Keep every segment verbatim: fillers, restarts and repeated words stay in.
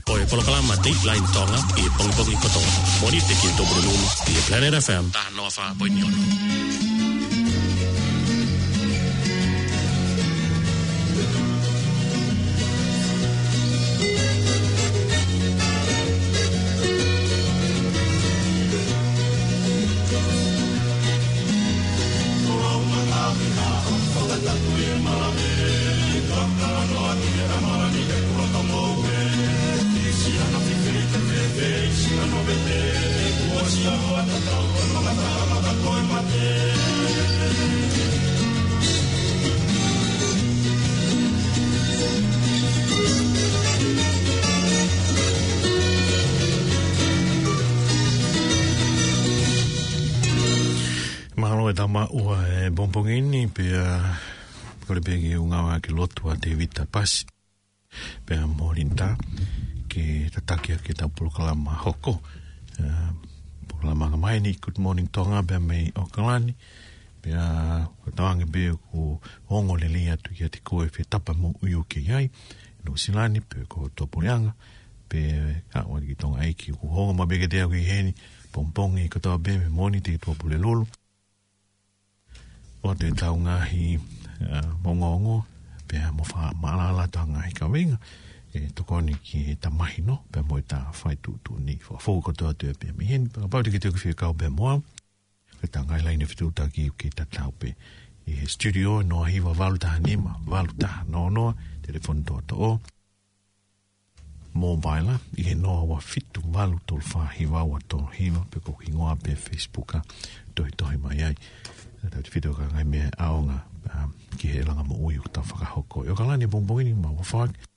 Ko e polokalama Dateline Tonga ʻi he pongipongi kotoa. Mōnite ki he tolu nima ʻi he Planet F M taha noa fā poini ono. Mālō e tama ua e pongipongi ni, pea kole pē ke u ngāueʻaki e lotu ʻa Tēvita Pasi pea mo Linda ke tataki ʻaki ʻetau polokalama hoko. ʻA, polokalama angamaheni Good Morning Tonga pea mei ʻAokalani. Pea ʻoku tauange pē ʻoku ongo lelei atu kiate koe ʻi he fē tapa moʻui ʻoku ke ʻi ai, Nuʻusila ni pe ko Tuʻapuleʻanga, pea ʻoua ki Tonga ʻEiki, ʻoku ongo maʻu pē kiate au ʻi heni pongipongi kotoa pē mei Mōnite ki Tuʻapulelulu. ʻOatu ʻetau ngaahi, ʻa, ongoongo, pea mo fakamaʻalaʻala ʻetau ngaahi kaveinga ʻe tokoni ki heʻeta mahino pea mo ʻeta fai tuʻutuʻuni. Fakafou kotoa atu pē mei heni, pea kapau te ke toe fie kau pē mo au, ko ʻetau ngaahi laine fetuʻutaki ʻoku kei tatau pē ʻi he studio, noa hiva valu taha nima, valu taha noa noa, telefoni toʻotoʻo. Mobile ʻi he noa ua fitu valu tolu fā hiva ua tolu hiva, pe ko e hingoa pē Facebook ʻa, tohitohi mai ai. Tautautefito ki he ngaahi meʻa ʻaonga, ʻa, ki he langa moʻui ʻoku tau fakahoko. ʻI ʻAokalani pongipongi ni, mau ʻofa ʻaki.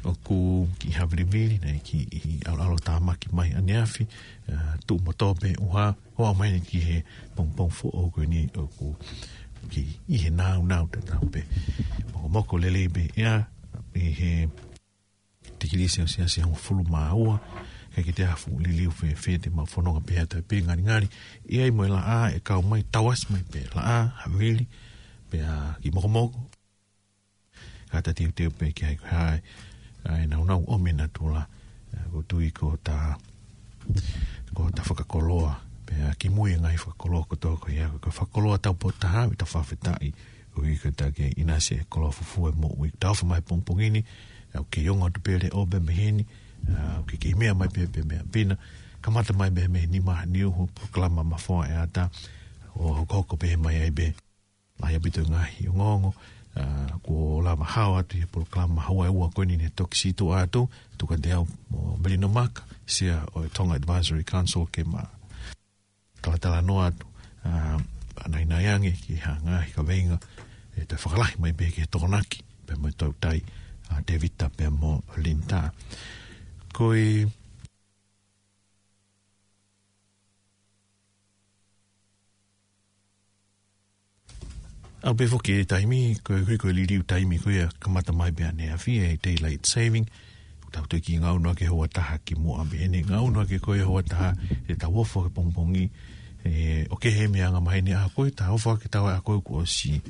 ʻOku kiʻi havilivili, naʻe kiʻi ʻaloʻalo tāmaki mai ʻaneafi, ʻa, tuʻu motuʻa pē ʻuha, hoa mai ni ki he pongipongi foʻou ko eni ʻoku kiʻi ʻi he nāunau tatau pē. Mokomoko lelei pē ʻa, ʻi he tikilī Selesiasi hongofulu mā ua, ʻikai ke toe ʻi ai ha fuʻu liliu fēfē, te mau fononga pē ʻi ha taimi pē ngalingali, ʻi ai mo e laʻā ʻe kau mai, tauʻasi mai pē laʻā, havili, pea kiʻi mokomoko. Ka ta teuteu pē ki ai ko hai, ʻa e nāunau ʻomi ʻe natula, ʻa, ʻoku ou tui ko ʻeta, ko ʻeta fakakoloa, pea kimui e ngaahi fakakoloa kotoa ko ia, ko e fakakoloa taupotu taha, ʻi he fakafetaʻi, ʻoku ʻikai ke ʻinasi e koloa fufū e moʻui. Tau ʻofa mai pongipongi ni, ʻa, ʻoku kei ongo atu pē leʻo pē mei heni, ʻa, ʻoku kei meʻa mai pē, pē meʻa pina, kamata mai pē mei he nima ʻaneafi, polokalama Mafoa ʻEata, ʻo hokohoko pē mai ai pē. Lahi ʻaupito e ngaahi ongoongo, ʻa, kuo lava hao atu ʻi he polokalama houa ʻe ua ko eni ne toki sītuʻa atu, tuku atu ʻe au mo Melino Maka, Sea ʻo e Tonga Advisory Council ke ma talatalanoa atu, ʻa, ʻa naʻinaʻi ange ki ha ngaahi kaveinga ʻe toe fakalahi mai pē ki he Tokonaki, pea mo e Toutai, ʻa, Tēvita pea mo Linda. Ko e ʻAu pē foki e taimi, ko e, ko e, ko e liliu taimi ko ia kamata mai pē ʻaneafi e daylight saving. Tau toe kiʻi ngaunga ki he houa taha kimuʻa pē eni, ngaunga ki he ko e houa taha, ʻe tau ʻofa ki he pongipongi, ʻe, ʻoku kehe e meʻa angamaheni ʻa ko e, tau ʻofa ki he taua ʻa ko e kuo ʻosi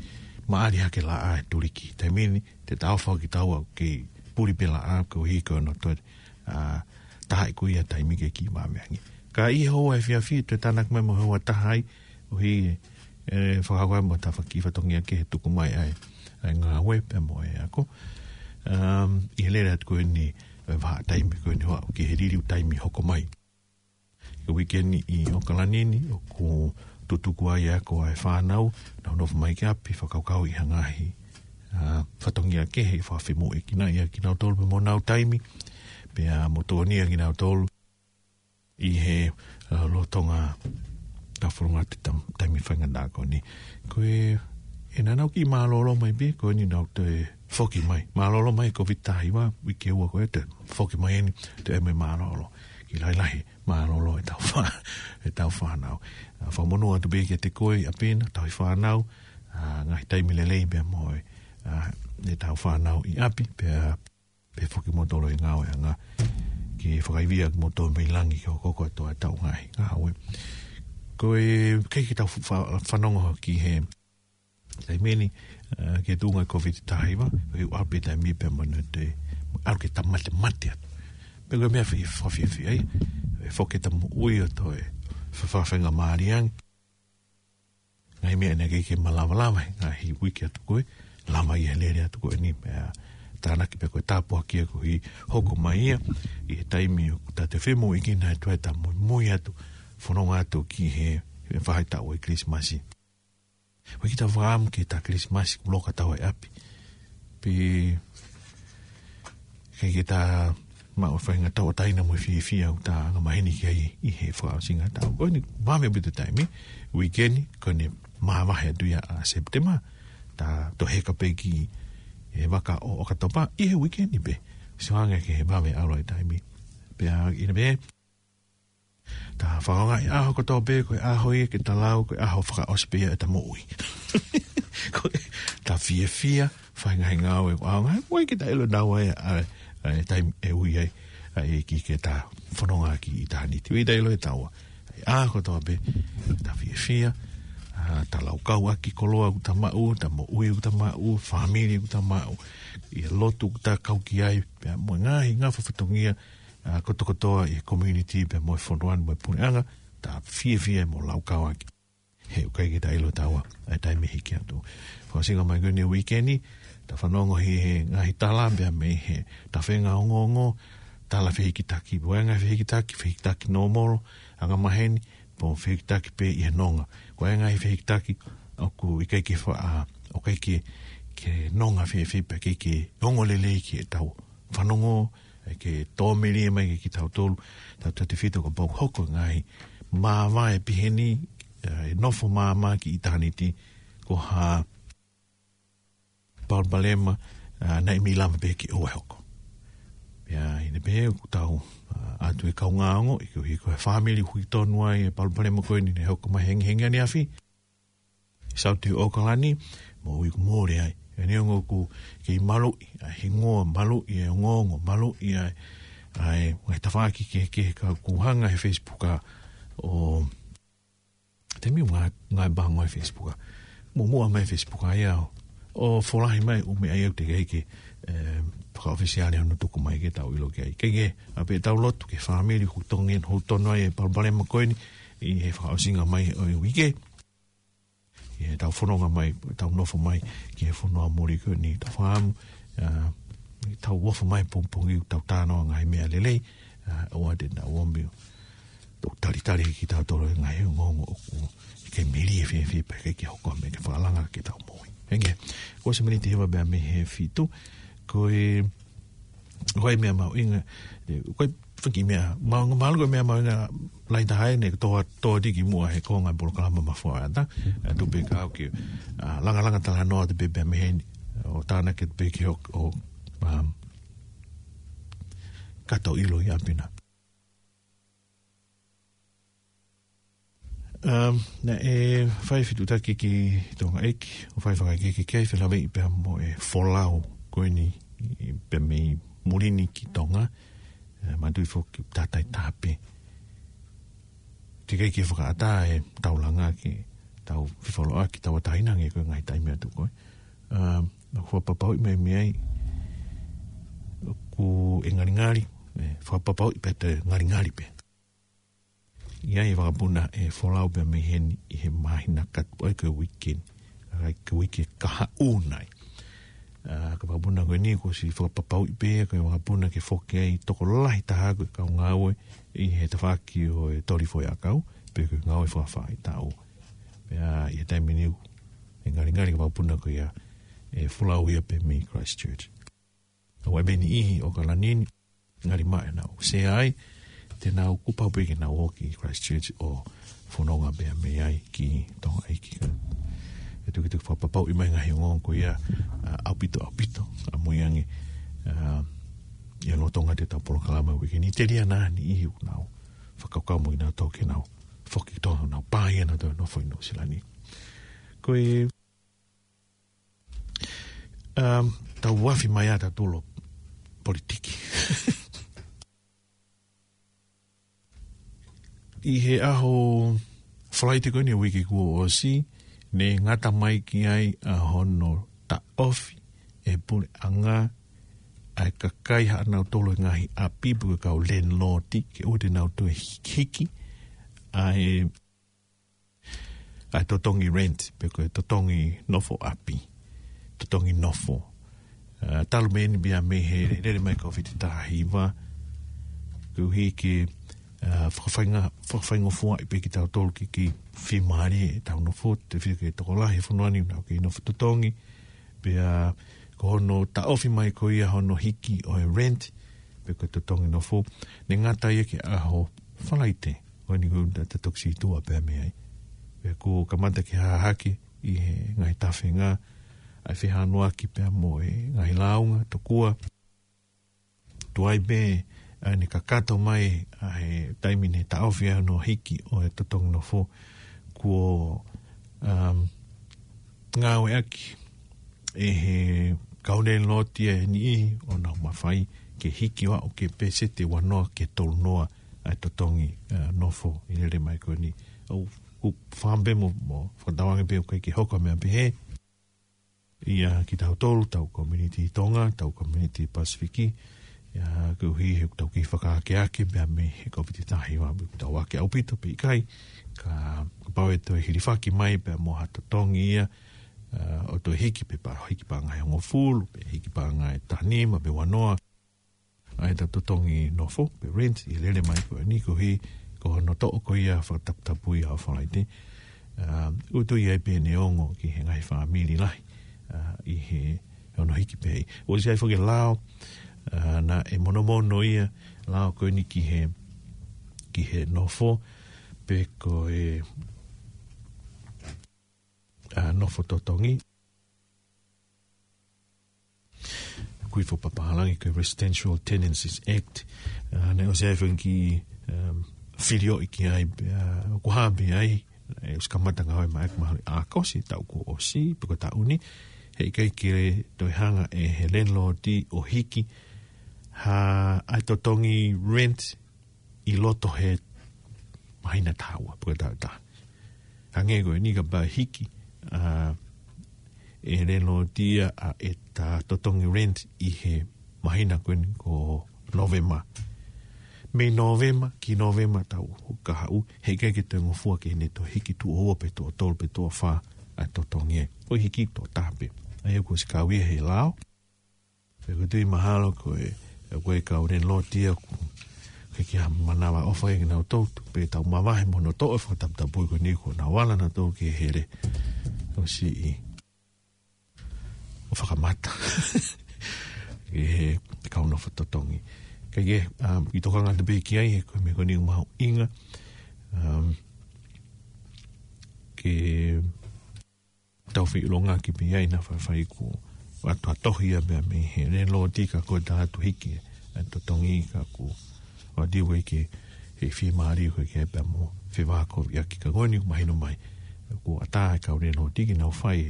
maʻali hake laʻā ʻe tuliki. Taimi ni, te tau ʻofa ki he taua ʻoku kei puli pē laʻā, ko e hiko no toe, ʻa, taha ʻi ko ia taimi ke kiʻi māmeangi. Ka ʻi he houa efiafi, toe tānaki mai mo e houa taha ai, ʻo hiki, ʻe, fakahoko ai mo ha tafaʻaki fatongia kehe tuku mai ai, ʻa e ngāue pea mo e ako. Um, ʻi he lele atu ko eni, ʻe, vahaʻa taimi ko eni hoʻo ki he liliu taimi hoko mai. Ko e uike ni ʻi ʻAokalani ni, ʻoku tutuku ai e ako ʻa e fānau, nau nofo mai ki ʻapi, fakakaukau ʻi ha ngaahi, ʻa, fatongia kehe, fakafemoʻuekina ia kinautolu pea mo honau taimi, pea mo tokoniʻi kinautolu ʻi he, ʻa, lolotonga ʻetau fononga ʻi he tam-, taimi faingataʻa ko eni. Ko e, ʻe naʻa nau kiʻi mālōlō mai pē, ko eni nau toe foki mai. Mālōlō mai Covid taha hiva, uike ua ko ē toe foki mai eni, toe ʻai mai mālōlō. Kiʻi lahilahi mālōlō ʻetau fā-, ʻetau fānau. ʻA, fakamonū atu pē kiate koe ʻi ʻapi na, tauhi fānau, ʻa, ngaahi taimi lelei pea mo e, ʻa, ʻetau fānau ʻi ʻapi, pea pea foki kimoutolu ʻi he ngāueʻanga ke fakaivia kimoutolu mei langi ke hokohoko atu ʻetau ngaahi ngāue. Ko e kei ke tau fa-, fanongo ki he taimi ni, ʻa, ki he tuʻunga Covid taha hiva, ko e ʻalu pē taimi pea mo e te, ʻalu ke tau matemate atu. Pe ko e meʻa fie, fakafiefia ai. ʻE foki ʻeta moʻui ʻo toe fafafenga māliangi. Ngaahi meʻa naʻe ʻikai ke ma lava lava he ngaahi uike atu ko ē. Lava ia he lele atu ko eni pea tānaki pē ko e tāpuaki ia ko e hoko mai ia. ʻI he taimi ʻoku ta te femoʻuekina atu ai ʻeta muimui atu. Fononga atu ki he, he faʻahitaʻu ʻo e Kilisimasi. Ko e kiʻi tau fakaʻamu ki he ʻeta Kilisimasi kuo loka tau ʻi ʻapi. Pea ʻikai ke ta maʻu e faʻahinga tauʻatāina mo e fiefia ʻoku ta angamaheni ki ai ʻi he fakaʻosinga ʻo e taʻu. Ko eni vave ʻaupito e taimi, uike ni, ko eni māvahe atu ia ʻa Sepitema, ta toe heka pē ki he vaka ʻo ʻOkatopa, ʻi he uike ni pē. Sio ange ki he vave ʻalu ʻa e taimi. Pea ʻi heʻene pē, ta fakaʻaongaʻi e ʻaho kotoa pē, ko e ʻaho ia ke ta lau, ko e ʻaho fakaʻosi pē ia ʻeta moʻui. Ko e ta fiefia, fai ngaahi ngāue ʻoku ʻaonga, ʻoku ʻikai ke ta ʻilo naua ʻa e, ʻa e, ʻa e taimi ʻe ui ai, ʻa e ʻEiki ke ta fononga ki ʻitāniti. ʻOku ʻikai ke ta ʻilo ʻe taua. ʻA e ʻaho kotoa pē, ta fiefia, ʻa, ta laukau ʻaki e koloa ʻoku ta maʻu, ʻeta moʻui ʻoku ta maʻu, fāmili ʻoku ta maʻu, ʻi he lotu ʻoku ta kau ki ai, pea mo e ngaahi, ngaahi fatongia, ʻa, kotokotoa ʻi he community pea mo e fonua ni mo e puleʻanga, ta fiefia mo laukau ʻaki. He ʻoku ʻikai ke ta ʻilo ʻe taua, ʻa e taimi ʻe hiki atu. Fakaʻosinga mai ko eni e uike ni, ta fanongo he, he ngaahi tala pea mei he tafenga ongoongo, tala fehikitaki, ko e ngaahi fehikitaki, fehikitaki nōmolo, angamaheni, pe ko e fehikitaki pē ʻi he nonga. Ko e ngaahi fehikitaki, ʻoku ʻikai ke fa-, ʻa, ʻoku ʻikai ke, ke nonga fēfē pea ʻikai ke ongo lelei ki heʻetau fanongo, ʻikai ke tōmeli mai kiate kitautolu, tautautefito kapau ʻoku hoko e ngaahi māvae pehē ni, ʻa e nofo māmā ki ʻitāniti, ko ha palopalema, ʻa, naʻe ʻikai lava pē ke ʻoua ʻe hoko. Pea ʻi heʻene pehē ʻoku tau, ʻa, ʻoatu e kaungā ongoʻi, ʻi he, ʻi he fāmili ʻoku ʻi tonu ai e palopalema ko eni naʻe hoko mai he hengihengi ʻaneafi. South ʻAokalani, moʻui ʻoku mole ai. ʻA e neongo ʻoku kei maluʻi ʻa e hingoa, maluʻi e ongoongo, maluʻi ʻa e, ʻa e ngaahi tafaʻaki kehekehe ka ʻoku hanga he Facebook ʻa, ʻo, te miu ngā, ngā bango he Facebook ʻa. Muʻomuʻa mai Facebook ʻa ia ʻo, ʻo folahi mai ʻū meʻa ia ʻoku teʻeki ke, ʻe, fakaʻofisiale hono tuku mai ke tau ʻilo ki ai. Ke ke, ʻa pē tau lotu ki he fāmili ʻoku tongen, ʻoku tonu ai e palopalema ko eni, ʻi he fakaʻosinga mai ʻo e uike. ʻI heʻetau fononga mai, tau nofo mai, ki he fonua muli ko eni, tau fakaʻamu, ʻa, tau ofo mai pongipongi, tau talanoa ngaahi meʻa lelei, ʻa, ʻoua te nau ō mai ʻo tau talitali kitautolu he ngaahi ongoongo ʻoku ʻikai melie fēfē pea ʻikai ke hoko ha meʻa ke fakalanga ki heʻetau moʻui. Henge, kuo ʻosi miniti hiva pē mei he fitu, ko e, ko e meʻa mahuʻinga, ʻe, ko e faki meʻa, ma-, mahalo ko e meʻa mahuʻinga lahi taha eni, ko e toa, toa tiki muʻa he konga polokalama Mafuaʻata, ʻa, tuku pē ke u ʻai ke, ʻa, langalanga talanoa atu pē pea mei heni, ʻo tānaki pē ke hoko, ʻo, um, kato ʻilo ʻi ʻapi na. Um, naʻe fai fetutaki ki Tonga ʻEiki, ʻo fai fakaʻekeʻeke ki ai felāveʻi pea mo e folau ko eni, ʻi, pea mei muli ni ki Tonga, ʻe, mātuʻaki foki tātai tāpē. Teʻeki ke fakaʻatā ʻetau langa ke tau fifoloa ki tau ataina nge ko e ngaahi taimi atu ko ē. Um, ʻoku fakapapauʻi mai mei ai, ʻoku ʻe ngalingali, ʻe, fakapapauʻi pē te ngalingali pē. ʻI ai e vakapuna ʻe folau pē mei heni ʻi he māhina katu ai ko e uike ni. ʻA, ko e uike kahaʻu nai. ʻA, ko e vakapuna ko eni kuo ʻosi fakapapauʻi pē, ko e vakapuna ke foki ai tokolahi taha ko e kau ngāue ʻi he tafaʻaki ʻo e toli foʻiʻakau, pe ko e ngāue fakafaʻahitaʻu. Pea ʻi he taimi ni ʻoku ʻe ngalingali ko e vakapuna ko ia ʻe folau ia pē mei Christchurch. ʻOku ʻi ai pē niʻihi ʻo ʻAokalani ni, ngali mai ʻenau sea ai, te nau kuo pau pē ke nau ō ki Christchurch ʻo fononga pē mei ai ki Tonga ʻEiki. ʻE tukituki fakapapauʻi mai ngaahi ongoongo ko ia, ʻa, ʻaupito, ʻaupito, ʻamui ange, ʻa, ʻi he lolotonga ʻetau polokalama uike ni, telia nā niʻihi ʻoku nau fakakaukau mo kinautolu ke nau foki ki Tonga, nau pā ia nautolu ʻo nofo ʻi Nuʻusila ni. Ko e Um, tau uafi mai ʻa tautolu ʻo politiki. ʻI he ʻaho Falaite ko eni ʻo e uike kuo ʻosi, ne ngata mai ki ai ʻa hono taʻofi ʻe he puleʻanga ʻa e kakai haʻanautolu e ngaahi ʻapi pe ko e kau landlord ke ʻoua te nau toe hiki ʻa e, ʻa e totongi rent, pe ko e totongi nofo ʻapi, totongi nofo. Ā, talu mei eni pea mei he lele mai Kōviti taha hiva, koeʻuhi ke, ā, fakafainga-, fakafaingofuaʻi pē kitautolu ke kei fiemālie ʻetau nofo, tefito ki he tokolahi he fonua ni ʻoku nau kei nofo totongi, pea ko hono taʻofi mai ko ia hono hiki ʻo e rent, pe ko e totongi nofo, ne ngata ia ki he ʻaho Falaite, ko eni ko ʻetau toki sītuʻa pē mei ai. Pea kuo kamata ke hahake ʻi he ngaahi tafenga, ʻa e fehanuaki pea mo e ngaahi lāunga, tokua tuai pē, ā, ne kakato mai ʻa e taimi ne taʻofi ai hono hiki ʻo e totongi nofo, kuo, um, ngāueʻaki ʻe he kau landlord ia ʻe niʻihi ʻo nau mafai ke hiki ʻo aʻu ki he peseti ua noa ki he tolu noa ʻa e totongi, ā, nofo ʻi he lele mai ko eni. ʻOku ou fakaʻamu pē mo, mo fakatauange pē ʻoku ʻikai ke hoko ʻa e meʻa pehē ia kitautolu, ʻetau community Tonga, ʻetau community Pasifiki, ia koeʻuhi he ʻoku tau kei fakaakeake pea mei he Kōviti taha hiva, ʻoku tau ake ʻaupito pe ʻikai, ka, kapau ʻe toe hilifaki mai pea mo ha totongi ia, ā, ʻo toe hiki pē pea hiki paʻanga ʻe hongofulu, pe hiki paʻanga ʻe taha nima, pe ua noa, ʻa ʻetau totongi nofo, pe rent, ʻi he lele mai ko eni koeʻuhi ko hono toʻo ko ia fakataputapui ʻaho Falaite. Ā, ʻoku tui ai pē neongo ki he ngaahi fāmili lahi, ā, ʻi he hono hiki pē. ʻOsi ʻi ai foki e lao, ā, naʻe monomono ia, lao ko eni ki he, ki he nofo, pe ko e, ā, nofo totongi. Kui fo papahalangi ko e Residential Tenancies Act. Ā, naʻe ʻosi ʻi ai foki, um, filioʻi ki ai, ā, ʻoku hā pē ai, ʻe ʻosi kamata ngāue mai ʻaki mahalo ʻi ʻAokosi taʻu kuo ʻosi, pe ko e taʻu ni, heʻikai ke toe hanga ʻe he landlord ʻo hiki ha, ʻa e totongi rent ʻi loto he māhina taha ua, pe ko e taʻu taha. Hangē ko eni kapau ʻe hiki, ā, ʻe he landlord ia ʻa ʻeta totongi rent ʻi he māhina ko eni ko Nōvema. Mei Nōvema ki Nōvema taʻu kahaʻu, heʻikai ke toe ngofua ke ne toe hiki tuʻo ua pe tuʻo tolu pe tuʻo fā ʻa e totongi ē. ʻOku hiki tuʻo taha pē. ʻA ia kuo ʻosi kau ia he lao. Pea ʻoku ou tui mahalo ko e, ko e kau landlord ia ʻoku ʻikai ke ʻi ai ha manavaʻofa ia kinautolu, pe tau mavahe mo hono toʻo e fakataputapui ko eni kuo nau ala nautolu ke hele. ʻOsi ʻi ʻo fakamata. Ki he kau nofo totongi. Kae kehe, um, ʻi he tokanga atu pē ki ai, he ko e meʻa ko eni ʻoku mahuʻinga, um, ke tau feʻilongaki pē ai naʻa faifai kuo ʻatu ʻa e tohi ia pea mei he landlord ka ko e tā atu hiki ʻa e totongi ka kuo ʻoatu ia ke he fiemālie ko ē ke pea mo fevākoviʻaki ka ko eni ʻoku mahino mai. Kuo ʻatā e kau landlord ke nau fai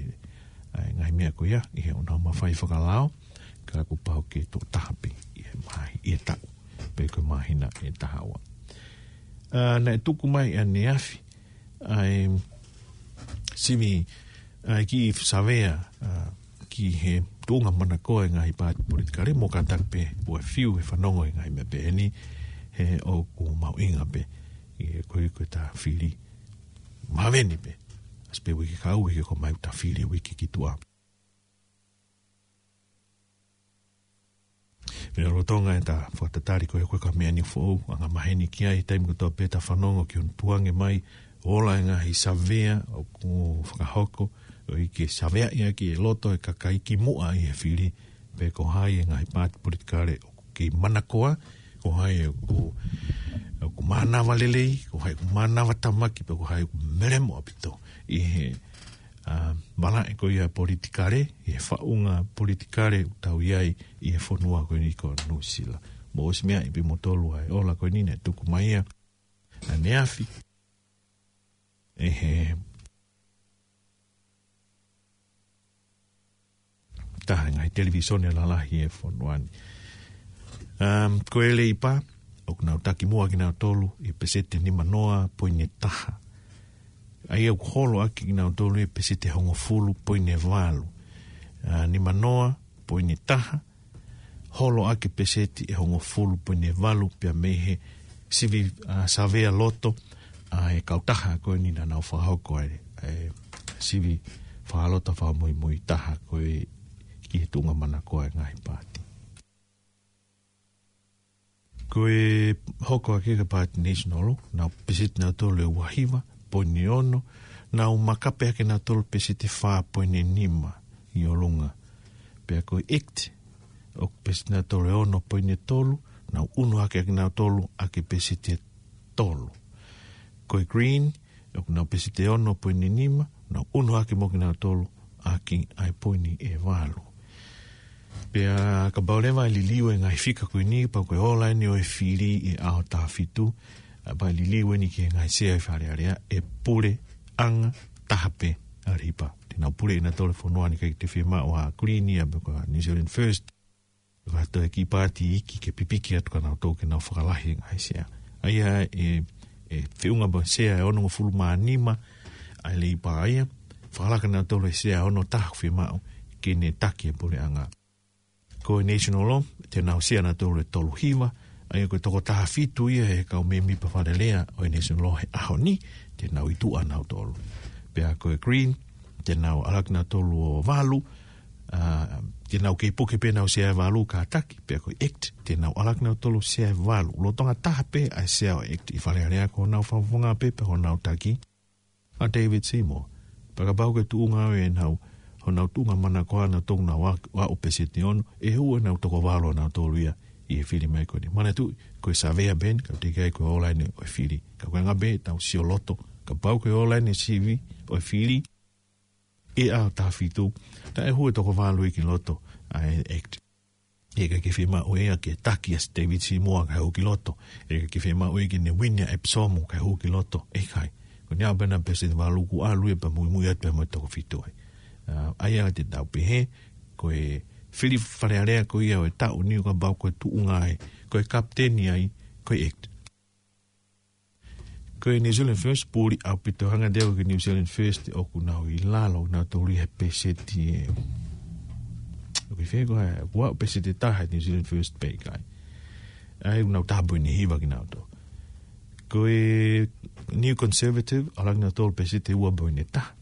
ʻa e ngaahi meʻa ko ia, ʻi heʻenau mafai fakalao, ka kuo pau ke tuʻo taha pē ʻi he māhi-, ʻi he taʻu, pe ko e māhina ʻe taha ua. Ā, naʻe tuku mai ʻaneafi, ʻa e sivi, ʻa e kiʻi savea, ā, ki he tuʻunga manakoa e ngaahi paati politikale, mo kātaki pē ʻoua ʻe fiu he fanongo e ngaahi meʻa pehē ni, he ʻoku mahuʻinga pē, ʻi he ko e, ko e tā fili. Maveni pē. ʻAsi pē uike kahaʻu, uike ko ē ʻoku ʻomai ʻoku tā fili uike ki tuʻa. Pea lolotonga ʻeta fakatatali ko ē ko e kau meʻa ni foʻou, angamaheni ki ai, taimi kotoa pē ʻeta fanongo ki hono tukuange mai, ʻo e ngaahi savea ʻoku fakahoko, ʻo ʻikai ke saveaʻi ʻaki e loto e kakai ki muʻa ʻi he fili, pe ko hai e ngaahi paati politikale ʻoku kei manakoa, ko hai ʻoku, ʻoku mānava lelei, ko hai ʻoku mānava tāmaki, pe ko hai ʻoku melemo ʻaupito ʻi he ā, malaʻe ko ia politikale, ʻi he faʻunga politikale ʻoku tau ʻi ai ʻi he fonua ko eni ko Nuʻusila. Mou ʻosi meaʻi pē moutolu ʻa e ola ko eni naʻe tuku mai ia ʻaneafi ʻe he taha e ngaahi televīsone lalahi ʻi he fonua ni. Um, ko e Leipa, ʻoku nau taki muʻa kinautolu ʻi he peseti nima noa poini taha. ʻA ia ʻoku holo ʻaki kinautolu ʻi he peseti hongofulu poini valu. Ā, nima noa poini taha. holo ʻaki e peseti ʻe hongofulu poini ʻe valu pea mei he sivi, ʻa, savea loto ʻa e kautaha ko eni naʻa nau fakahoko ai e sivi fakaloto fakamuimui taha ko ē ki he tuʻunga manakoa e ngaahi paati. Ko e hoko ʻaki e paati National, nau peseti nautolu ʻe ua hiva poini ono, nau makape ʻaki nautolu peseti fā poini nima ʻi ʻolunga. Pea ko e ACT, ʻoku peseti nautolu ʻe ono poini tolu, nau ʻunu hake ʻaki nautolu ʻaki e peseti ʻe tolu. Ko e Green, ʻoku nau peseti ʻe ono poini nima, nau ʻunu hake mo kinautolu ʻaki ʻa e poini ʻe valu. Pea kapau leva ʻe liliu e ngaahi fika ko eni, pea ko e ola eni ʻo e fili ʻi he ʻaho taha fitu, ʻa, pea liliu eni ki he ngaahi sea ʻi Fale Alea, ʻe puleʻanga taha pē ʻa Leipa. Te nau pule ʻe nautolu e fonua ni, ʻikai te fiemaʻu ʻa Green ia pe ko e New Zealand First. Ka toe kiʻi paati iiki ke pipiki atu kia nautolu ke nau fakalahi e ngaahi sea. ʻA ia ʻe, ʻe feʻunga mo e sea ʻe onongofulu mā nima ʻa e Leipa ia, fakalaka nautolu e sea ʻe ono taha ʻoku fiemaʻu ke ne taki e puleʻanga. Ko e National, te nau sea nautolu ʻe tolu hiva, ʻa ia ko e toko taha fitu ia he kau mēmipa Fale Alea ʻo e National he ʻaho ni, te nau ʻi tuʻa nautolu. Pea ko e Green, te nau ʻalu ʻaki nautolu ʻo valu, ʻa, te nau kei puke pē ʻenau sea ʻe valu kātaki, pea ko e ACT, te nau ʻalu ʻaki nautolu sea ʻe valu. Lolotonga taha pē ʻa e sea ʻo e ACT ʻi Fale Alea, ko honau fakafofonga pē, pea ko honau taki ʻa David Seymour. Pea kapau ko e tuʻunga ʻo ʻenau, honau tuʻunga manakoa nautolu ʻoku nau ʻa-, ʻa ʻo peseti ʻe ono, ʻe hū ʻenau toko valu ʻanautolu ia ʻi he fili mai ko eni. Manatuʻi, ko e savea pē eni, ka teʻeki ai ko e ola eni ʻo e fili. Ka ko e anga pē ʻetau sio loto, kapau ko e ola eni e sivi ʻo e fili ʻi he ʻaho taha fitu, naʻe hū e toko valu ia ki loto ʻa e ACT. ʻIkai ke fiemaʻu ia ke taki ʻa David Seymour kae hū ki loto. ʻIkai ke fiemaʻu ia ke ne uini ʻa Epsom kae hū ki loto. ʻIkai. Ko eni ʻa e pena peseti ʻe valu kuo ʻalu ia pea muimui atu pea mo e toko fitu ai. ʻA, ʻa ia te tau pehē, ko e fili Fale Alea ko ia ʻo e taʻu ni, kapau ko e tuʻunga ai, ko e kapiteni ai, ko e ACT. Ko e New Zealand First, puli ʻaupito, hanga atu ki he New Zealand First, ʻoku nau ʻi lalo nautolu ia he peseti ʻe, ʻoku ʻi fē koā, ʻoku ʻi he peseti ʻe taha New Zealand First pē ʻikai. ʻA ia ʻoku nau taha poini hiva kinautolu. Ko e New Conservative, ʻalu ʻaki nautolu peseti ʻe ua poini taha.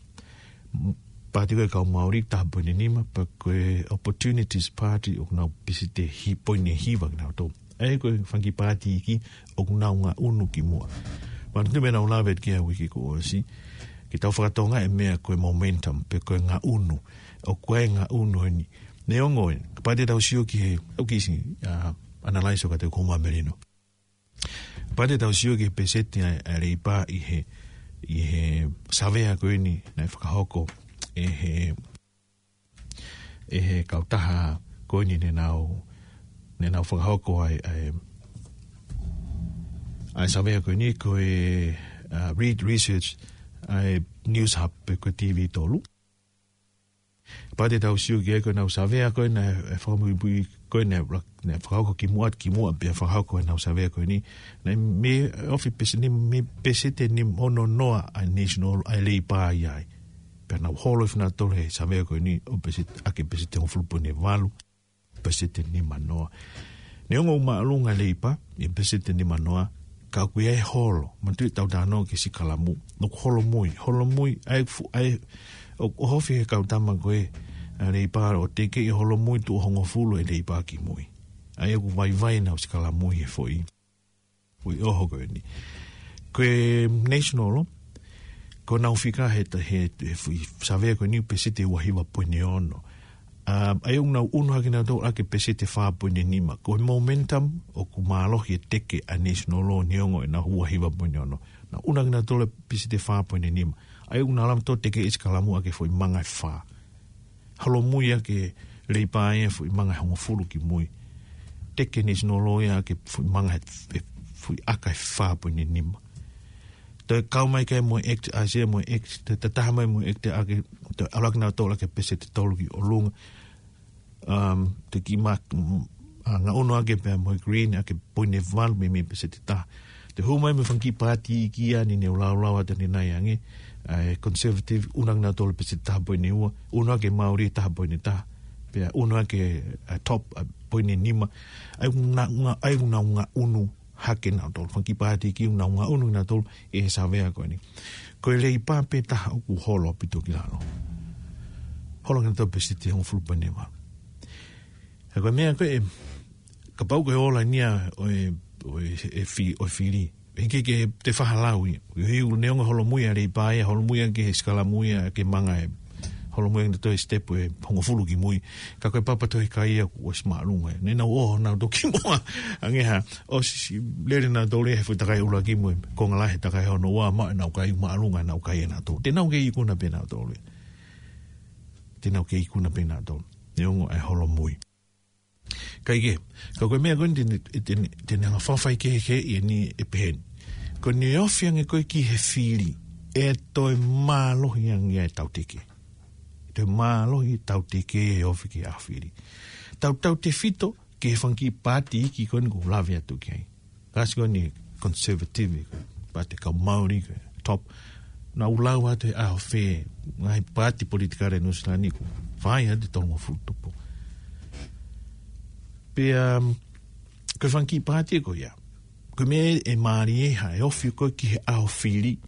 Paati ko e kau Māori taha poini nima, pea ko e Opportunities Party ʻoku nau peseti ʻe hi-, poini hiva kinautolu. ʻA ia ko e fanga kiʻi paati iiki ʻoku nau ngaʻunu ki muʻa. Manatuʻi meʻa naʻa ku lave ki ai he uike kuo ʻosi, ke tau fakatokangaʻi e meʻa ko e momentum, pe ko e ngaʻunu. ʻOku ʻi ai e ngaʻunu eni. Neongo ē, kapau te tau sio ki he, ʻoku ʻi ai e, ʻa, analyse ʻoku ʻikai te u kau mai Melino. Kapau te tau sio ki he peseti ʻa e, ʻa e Leipa ʻi he, ʻi he savea ko eni naʻe fakahoko ʻe he, ʻe he kautaha ko eni naʻa nau, naʻa nau fakahoko ʻa e, ʻa e, ʻa e savea ko eni ko e, ʻa, Reid Research, ʻa e Newshub pe ko e TV tolu. Kapau te tau sio ki ai ko ʻenau savea ko ē naʻe fakamuimui ko ē naʻe, naʻe fakahoko ki muʻa, ki muʻa pea fakahoko ʻenau savea ko eni. Naʻe mei ofi peseti, mei peseti ʻe nima ono noa ʻa e National, ʻa e Leipa ia ai. Pea nau holo ʻi he fina tole he savea ko eni ʻo peseti, ʻaki e peseti ʻe hongofulu poini valu, peseti ʻe nima noa. Neongo ʻoku māʻolunga e Leipa ʻi he peseti ʻe nima noa, ka ʻoku ʻi ai e holo. Manatuʻi ʻetau talanoa ki he sikalamu. ʻOku holomui, holomui, ʻa e fu-, ʻa e, ʻo, ʻoku ofi he kau tama ko ē ʻa e Leipa ʻo tekeʻi e holomui tuʻo hongofulu e Leipa ki mui. ʻA ia ʻoku vaivai ʻenau sikalamu ʻi he foʻi, foʻi ʻoho ko eni. Ko e National, ko ʻenau fika he ta-, he, he foʻi savea ko eni peseti ʻe ua hiva poini ono. ʻA, ʻa ia ʻoku nau ʻunu hake nautolu ʻaki e peseti ʻe fā poini nima. Ko e momentum ʻoku mālohi e teke ʻa e National neongo ʻenau ua hiva poini ono. Nau ʻunu hake nautolu e peseti ʻe fā poini nima. ʻA ia ʻoku nau lava nautolu ʻo tekeʻi e sikalamu ʻaki e foʻi manga ʻe fā. Holomui ʻaki e Leipa ia e foʻi manga ʻe hongofulu ki mui. Teke e National ia ʻaki e foʻi manga ʻe, ʻe foʻi ʻaka ʻe fā poini nima. Toe kau mai ki ai mo e ACT, ʻa e sea mo e ACT, toe tataha mai mo e ACT ʻaki, toe ʻalu ʻaki nautolu ʻaki e peseti ʻe tolu ki ʻolunga. Um, toe kiʻi ma-, mm, ʻa, ngaʻunu ʻaki pea mo e Green ʻaki e poini ʻe valu mei, mei he peseti ʻe taha. Toe hū mai mo e fanga kiʻi paati iiki ia ni naʻa ku laulau atu ʻanenai ange, ʻa e Conservative, ʻunu ʻaki nautolu e peseti ʻe taha poini ua, ʻunu ʻaki e Māori ʻe taha poini taha. Pea ʻunu ʻaki e, ʻa e Top, ʻa e poini nima, ʻa ia ʻoku nau nga-, ʻa ia ʻoku nau ngaʻunu hake nautolu. Fanga kiʻi paati ʻoku nau ngaʻunu nautolu ʻi he savea ko eni. Ko e Leipa pē taha ʻoku holo ʻaupito ki lalo. Holo kinautolu peseti ʻe hongofulu poini nima. He ko e meʻa ko ē, kapau ko e ola eni ia ʻo e, ʻo e, ʻe fi-, ʻo e fili. Hiki ke te fahalau ia. Ko e hiu neongo holomui ʻa e Leipa ia, holomui ia ki he sikalamu ia, ke manga e. Holomui ia ki he toe step ʻe hongofulu ki mui. Ka ko e papa toe kai ia kuo ʻosi māʻolunga ia. Ne nau ō nautolu ki muʻa. Ange ha, ʻosi lele nautolu ia he fuʻu takai ʻuluaki mo e konga lahi he takai hono ua, maʻu ʻenau kai māʻolunga ʻenau kai ʻanautolu. Te nau kei ikuna pē nautolu ia. Te nau kei ikuna pē nautolu. Neongo ʻa e holomui. Kae kehe, ka ko e meʻa ko eni te ne, te ne, te ne hanga fafai kehekehe ʻi heni ʻe pehē ni. Ko ʻene ofi ange ko ē ki he fili, ʻe toe mālohi ange ʻa e tauteke. Toe mālohi tauteke ʻe ofi ki he ʻaho fili. Tau, tautefito ki he fanga kiʻi paati iiki ko eni ʻoku ou lave atu ki ai. Kasi ko eni Conservative, paati kau Māori, ko e Top. Nau lau atu he ʻaho fē, ngaahi paati politikale Nuʻu Sila ni ʻoku fai atu tolungofulu tupu. Pea, um, ko e fanga kiʻi paati ko ia. Ko e meʻa ʻe mālie ʻa e ofi ko ē ki he ʻaho fili.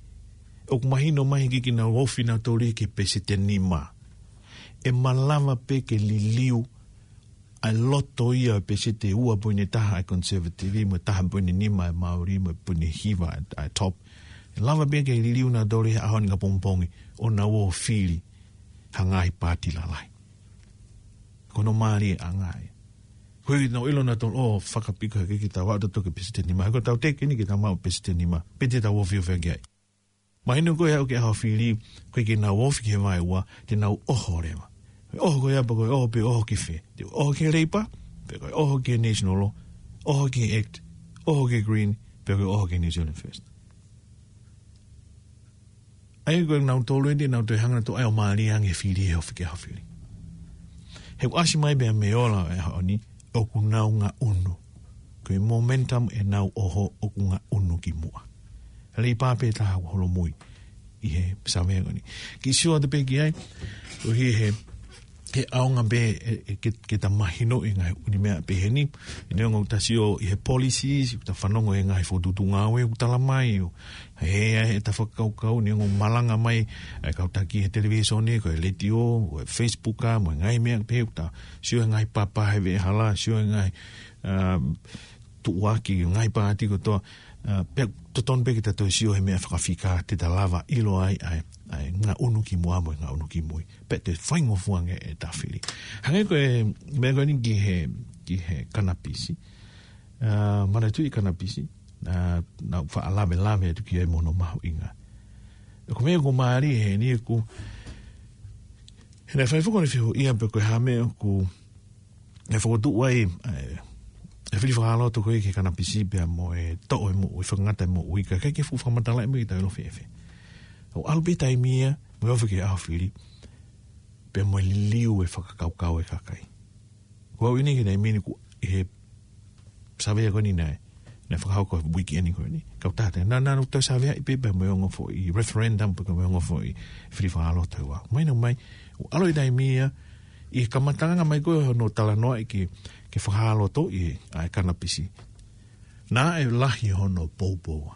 ʻOku mahino mai hiki ke nau ofi nautolu ki he peseti ʻe nima. ʻE malava pē ke liliu ʻa e loto ia ʻo e peseti ʻe ua poini taha ʻa e Conservative, mo e taha poini nima ʻa e Māori, mo e poini hiva ʻa e, ʻa e Top. ʻE lava pē ke liliu nautolu he ʻaho ni ʻapongipongi, ʻo nau ō fili ha ngaahi paati lalahi. Ko hono mālie ʻanga ia. Ko e nau ʻilo nautolu, ʻo fakapiko hake ke tau aʻu atu ki he peseti ʻe nima. He ko e tauteke eni ke tau maʻu peseti ʻe nima. Pe te tau ofiofi ange ai. Mahino ko e aʻu ki he ʻaho fili, ko e ke nau ofi ki he vaeua, te nau ʻoho leva. Ko e ʻoho ko ia pe ko e ʻoho pe ʻoho ki fē. Te ʻoho ki he Leipa, pe ko e ʻoho ki he National Law, ʻoho ki he Act, ʻoho ki he Green, pe ko e ʻoho ki he New Zealand First. ʻA ia ko e nau tolu eni, nau toe hanga nautolu ʻo mālie ange fili he ofi ki he ʻaho fili. He ʻoku ʻasi mai pea mei he ola ʻo e ʻaho ni, ʻoku nau ngaʻunu. Ko e momentum ʻenau ʻoho ʻoku ngaʻunu ki muʻa. Leipa pē taha ʻoku holomui ʻi he savea ko eni. Kiʻi sio atu pē ki ai, ʻoku ʻi he, he ʻaonga pē ʻe, ʻe, ke, ke ta mahinoʻi e ngaahi ʻū meʻa pehē ni, neongo ʻoku ta sio ʻi he policies, ʻoku ta fanongo he ngaahi fokotuʻutuʻu ngāue, ʻoku tala mai, ʻo, he, he, he ta fakakaukau, neongo malanga mai, ʻa e kau taki he televīsone, ko e letiō, ko e Facebook, ʻa, mo e ngaahi meʻa pē, ʻoku ta sio he ngaahi papa he veʻehala, sio he ngaahi, um, tuʻuaki, ngaahi paati kotoa, uh, pea totonu pē ke ta toe sio he meʻa fakafika, te ta lava ʻilo ai, ʻa e, ʻa e ngaʻunu ki muʻa mo e ngaʻunu ki mui. Pea te faingofua ange ʻeta fili. Hangē ko e, meʻa ko eni ki he, ki he kanapisi. Uh, manatuʻi kanapisi. Uh, naʻa ku faʻa lavelave atu ki ai mo hono mahuʻinga. Ko e meʻa ʻoku mālie heni ʻoku, he naʻe fai foki ʻene fehuʻia pe ko e hā e meʻa ʻoku, ʻe fokotuʻu ai, ʻe, ʻe fili fakaloto ko ē ki he kanapisi pea mo e toʻo e moʻui, fakangata e moʻui, ka ʻikai ke fuʻu fakamatalaʻi mo e taimi ʻe fēfē. ʻO ʻalu pē taimi ia, mo e ofi ki he ʻaho fili, pea mo e liliu e fakakaukau e kakai. Ko au ʻi heni ki he taimi ni ʻoku ʻi he savea ko eni naʻe, naʻe fakahoko he uike eni ko eni. Kau tata, naʻa, naʻa nau toe saveaʻi pē pea mo e ongo foʻi referendum, pea mo e ongo foʻi fili fakaloto ʻe ua. Mahino mai, ʻo ʻalu e taimi ia, ʻi he kamataʻanga mai ko ē hono talanoaʻi ke, ke fakalotoʻi ʻa e kanapisi. Naʻe lahi hono poupouʻa.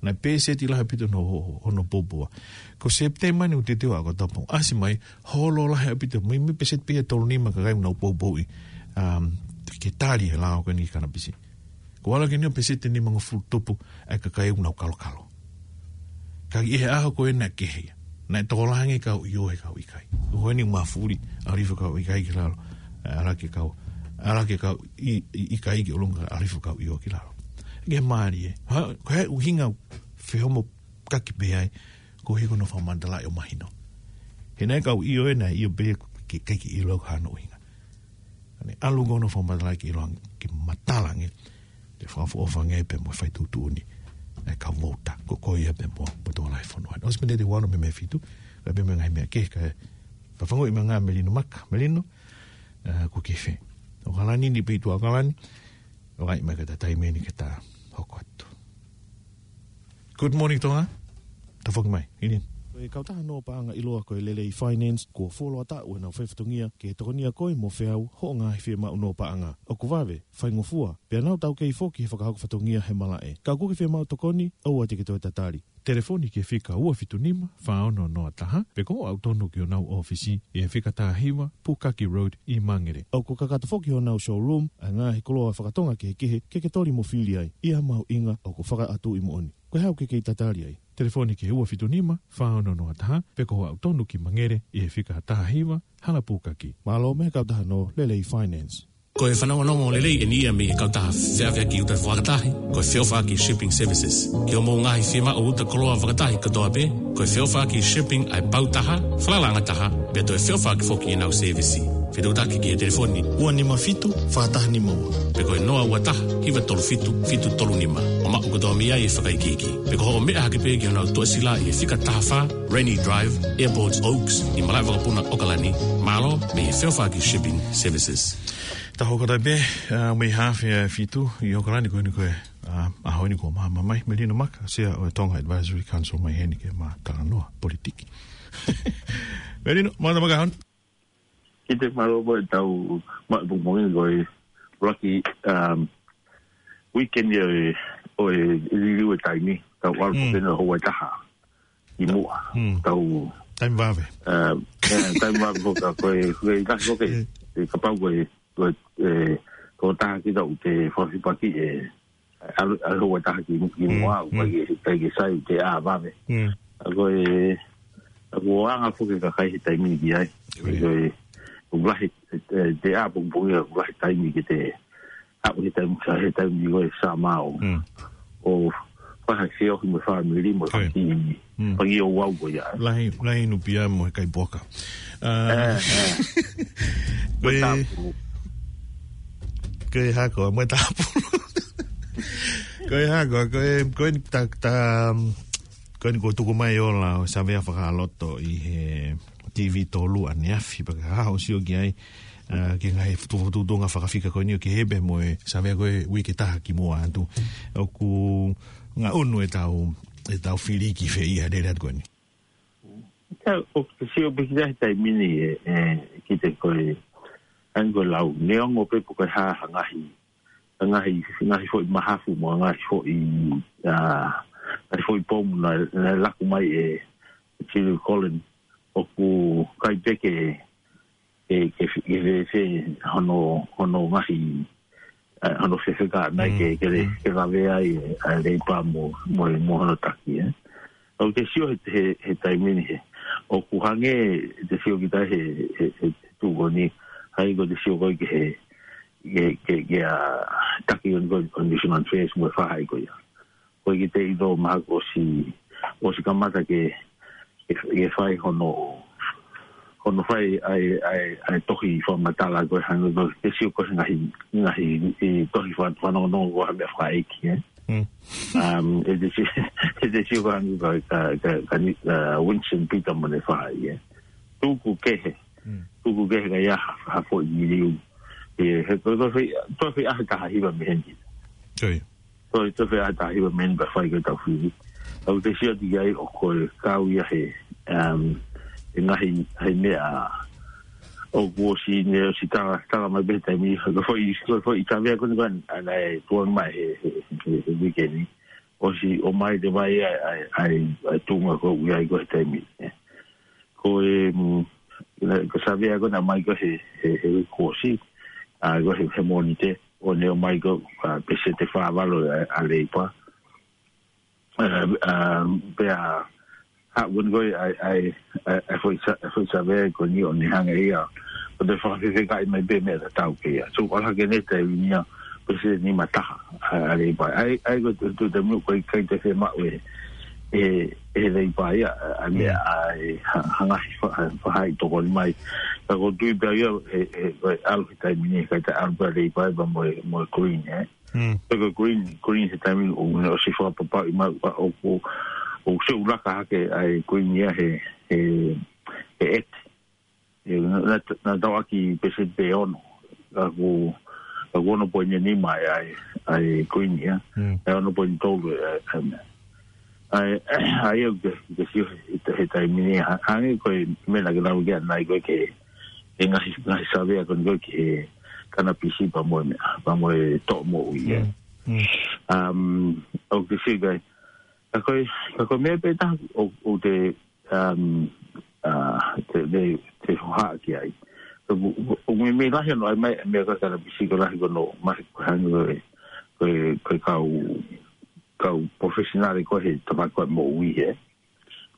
Naʻe peseti lahi ʻaupito hono, hono poupouʻa. Ko Sepitema ni ʻoku teuteu ʻa ʻOkatopa. ʻAsi mai, holo lahi ʻaupito. Mei, mei peseti pē ia ʻe tolu nima ka ʻoku nau poupouʻi. Um, ke tali he lao ko eni ki he kanapisi. Ko e ala ko eni ʻo peseti ʻe nimangofulu tupu ʻa e kakai ʻoku nau kalokalo. Ka ʻi he ʻaho ko ē naʻe kehe ia. Naʻe tokolahi ange kau ʻio he kau ʻikai. Ko eni mafuli, ʻalu hifo kau ʻikai ki lalo. ʻAlu hake kau, ʻalu hake kau ʻi, ʻi, ʻikai ki ʻolunga, ʻalu hifo kau ʻio ki lalo. Ke mālie. Ha, ko e ʻuhinga fehomo kaki pē ai, ko e ʻuhi ko hono fakamatalaʻi ʻo mahino. He naʻe kau ʻio ē, naʻe ʻio pē ke, ke, ke ʻilo ko e hā hono ʻuhinga. Ka ne ʻalu ko hono fakamatalaʻi ke ʻilo ange, ke matala ange, ke fakaʻofoʻofa ange pea mo e fai tuʻutuʻuni ʻa e kau vouta, ko, ko ia pea mo, mo e tokolahi e fonua. ʻOsi pē ʻene te wano mei he fitu, ka pea mo e ngaahi meʻa kehe ka, ka fangu i manga Melino Maka, Melino, uh, ko e kiʻi fē. ʻOkalani ni pē ʻi tuʻa ʻOkalani, ʻo ʻai mai ka ta taimi eni ke ta hoko atu. Good morning, Tonga. Ta foki mai, ʻi heni. Ko e kautaha nō paʻanga ʻiloa ko e Lelei Finance, kuo fuoloa taʻu ʻenau fai fatongia ke tokonia koe mo feau hoʻo ngaahi fiemaʻu nō paʻanga. ʻOku vave, faingofua, pea nau taukei foki he fakahoko fatongia he malaʻe. Ka ʻoku ke fiemaʻu tokoni, ʻoua te ke toe tatali. Telefoni ki he fika ua fitu nima, fā ono noa taha, pe ko hoʻo aʻu tonu ki honau ʻōfisi, ʻi he fika taha hiva, Pukaki Road ʻi Mangere. ʻOku kakato foki honau showroom ʻa e ngaahi koloa fakatonga kehekehe ke ke toli mo fili ai. ʻI ha mahuʻinga ʻoku fakaʻatuʻi moʻoni. Ko e hā ʻoku ke kei tatali ai? Telefoni ki he ua fitu nima, fā ono noa taha, pe ko hoʻo aʻu tonu ki Mangere ʻi he fika taha hiva, Hala Pukaki. Mālō mei he kautaha nō Lelei Finance. Ko e fanongonongo lelei eni ia mei he kautaha feʻaveaki uta fakatahi, ko e Feʻofaʻaki Shipping Services. Ki hoʻomou ngaahi fiemaʻu uta koloa fakatahi kotoa pē, ko e Feʻofaʻaki Shipping ʻa e pau taha, falalaʻanga taha, pea toe feʻofaʻaki foki ʻenau sēvisi. Fetuʻutaki ki he telefoni ua nima fitu, fā taha nima ua. Pe ko e noa ua taha, hiva tolu fitu, fitu tolu nima. ʻO maʻu kotoa mei ai e fakaikiiki. Pe ko hoʻo meʻa hake pē ki honau tuʻasila ʻi he fika taha fā, Rainy Drive, Airports Oaks, ʻi Malaʻevakapuna, ʻOkalani. Mālō mei he Feʻofaʻaki Shipping Services. Taha ʻo kata pē, ā, mei he hafe ʻa e fitu ʻi ʻOkalani ko eni ko e, ā, ʻaho ni ko Mahamamai, Melino Maka, Sea ʻo e Tonga Advisory Council mai heni ke ma talanoa politiki. Melino, mata maka hon. Kiate mālō mo e tau ma-, mo-, mo-, ko e ʻuluaki, um, weekend ia ʻo e, ʻo e liliu e taimi, tau ʻalu Mm. pē ʻo houa ʻe taha ki muʻa. Mm. Tau Taimi vave. Um, eh, taimi vave ko ka, ko e, ko e, ka, ko e, Mm. e kapau ko e, ko e, e, ko taha ki tau te fafipaki e, ʻalu, ʻalu houa ʻe taha ki, ki Mm, muʻa, mm. ʻikai ke, ʻikai ke sai te ʻā vave. Mm. ʻA ko e, ʻa ko anga foki e kakai he taimi ni ki ai. Ko ia. Ko e, ʻoku lahi, e, te ʻā pongipongi ʻoku lahi taimi ke te, ʻalu he taimi, sa he taimi ko e summer ʻo, Mm. ʻo fai ha feohi mo e fāmili mo e Ko ia. faki, Mm. faki ʻo wau ko ia. Lahi, lahi nupia mo e kai poka. Ā, Eh, eh. Ko e, Mo e tāpulu. ko e hā koā, mo e tāpulu. Ko e hā koā, ko e, ko e ni ta, ta, ko e ni ko tuku mai ola ʻo Savea Fakaloto ʻi he T V tolu ʻaneafi, pea ka hao sio ki ai, ā, ki he ngaahi futu-, fututunga fakafika ko eni ʻo ki he pē mo e Savea ko e uike ʻe taha ki muʻa atu. ʻOku ngaʻunu e tau, e tau filiki fē ʻi he lele atu ko eni. Ka, ʻoku te sio pē ki he taimi ni e, e, ki te ko e, ʻa eni ko e lau, neongo pē pe ko e hā ha ngaahi, ha ngaahi, ngaahi foʻi mahafu mo e ngaahi foʻi, ā, ngaahi foʻi pomu naʻe, naʻe laku mai ʻe Julie Collins, ʻoku ʻikai pē ke, ke, ke, ke fēfē hono, hono ngaahi, ā, hono fefeka mai Mm, ke, ke le, mm. ke lavea ai, ā, Leipa mo, mo, mo hono taki, ē. ʻOku te sio he, he, he taimi ni he, ʻoku hangē te sio kita he, he, he tuʻu ko eni, hangē ko te sio ko ē ki he, ke, ke, ke, ā, taki ko eni ko e Condition on Affairs mo e faʻahi ko ia. Ko e ki te ʻilo mahalo ʻosi, ʻosi kamata ke, ke, ke fai hono, hono fai ʻa e, ʻa e, ʻa e tohi fakamatala ko e hangē ko e, te sio ko e ngaahi, ngaahi, ʻi tohi fa-, fanongonongo ko ha meʻa fakaʻeiki, ē. Mm. Um, ʻe te si-, ʻe te sio ko e hangē ka, ka, ka, ka ni, ā, Winston Peter mo ʻene faʻahi, ē. Tuku kehe. Mm. Tuku kehe ka ʻi ai ha, ha foʻi miliu. ʻE, he, ko, ko, ko, ko, ko, ko, ʻa he taha hiva mei heni. Ko ia. Ko, ko, ko, ʻa he taha hiva mei heni pea fai ko e tau fili. ʻOku te sio atu ki ai ʻoku kau ia he, um, he ngaahi, he meʻa ʻoku ʻosi ne ʻosi tala, tala mai pē he taimi, ko e foʻi, ko e foʻi Savea ko eni ko ē, ʻa naʻe tuʻu mai he, he, he, he weekend ni. ʻOsi ʻomai te vai ai, ai, ai, ai tuʻunga ko ē ʻoku ʻi ai ko ē he taimi ni. Ko e, mm, ko e Savea ko ē naʻe ʻomai ko ē he, he, he uike kuo ʻosi, ā, ko ē he, he Mōnite, ʻo ne ʻomai ko ē, ā, peseti ʻe fā valu ʻa, ʻa Leipa. Ā, ā, pea, haʻu ko eni ko ē ʻa e, ʻa e, ʻa e, ʻa e foʻi Sa-, ʻa e foʻi Savea ko eni ʻo ne hanga ia ʻo toe fakafefekaʻi mai pē meʻa tatau ki ai. So, ʻalu hake ʻene taimi ni ia, peseti ʻe nima taha, ʻa, ʻa Leipa. ʻA ia, ʻa ia ko e tu-, tu-, taimi ko ē ʻikai te fiemaʻu ʻe, ʻe, ʻe Leipa ia, ʻa, ʻa meʻa, Mm. ʻa e, ha-, hanga ʻi fa-, ha-, faʻahi tokoni mai. Ka ʻoku ou tui pē au ia, ʻe, ʻe, ko e ʻalu he taimi ni, ʻikai te ʻalu pē ʻa Leipa ia pea mo e, mo e Green, ē. Mm. Pea ko e Green, Green he taimi ni ʻoku ne ʻosi fakapapauʻi mai, ʻa, ʻoku, ʻoku, ʻoku sio ʻoku laka hake ʻa e Green ia he, he, he ʻeti. ʻE, naʻa, naʻa, naʻa tau ʻaki peseti pē ono. Ka ʻoku, ka ʻoku ono poini nima ʻa e, ʻa e, ʻa e Green ia. Mm. ʻE ono poini tolu ʻa e, ʻa e, ʻA ia, ʻa ia ʻoku ke, ke sio he, he taimi ni, ha-, hangē ko e meʻa naʻa ke lau ki ai ʻanenai ko e ke, he ngaahi, ngaahi savea ko eni ko e ki he kanapisi pea mo e meʻa, pea mo e toʻo moʻui, ē. Mm. Mm. Um, ʻoku ke sio ki ai. Ka ko e, ka ko e meʻa pē taha ʻoku, ʻoku te, um, uh, te, te, te hohaʻa ki ai. ʻOku, ʻoku, ʻoku meimei lahi hono ʻai mai, meʻa ko e kanapisi ko e lahi ko hono ʻomai ko e hangē ko e, ko e, ko e kau, kau professional ko e he tafaʻaki ko e moʻui, ē.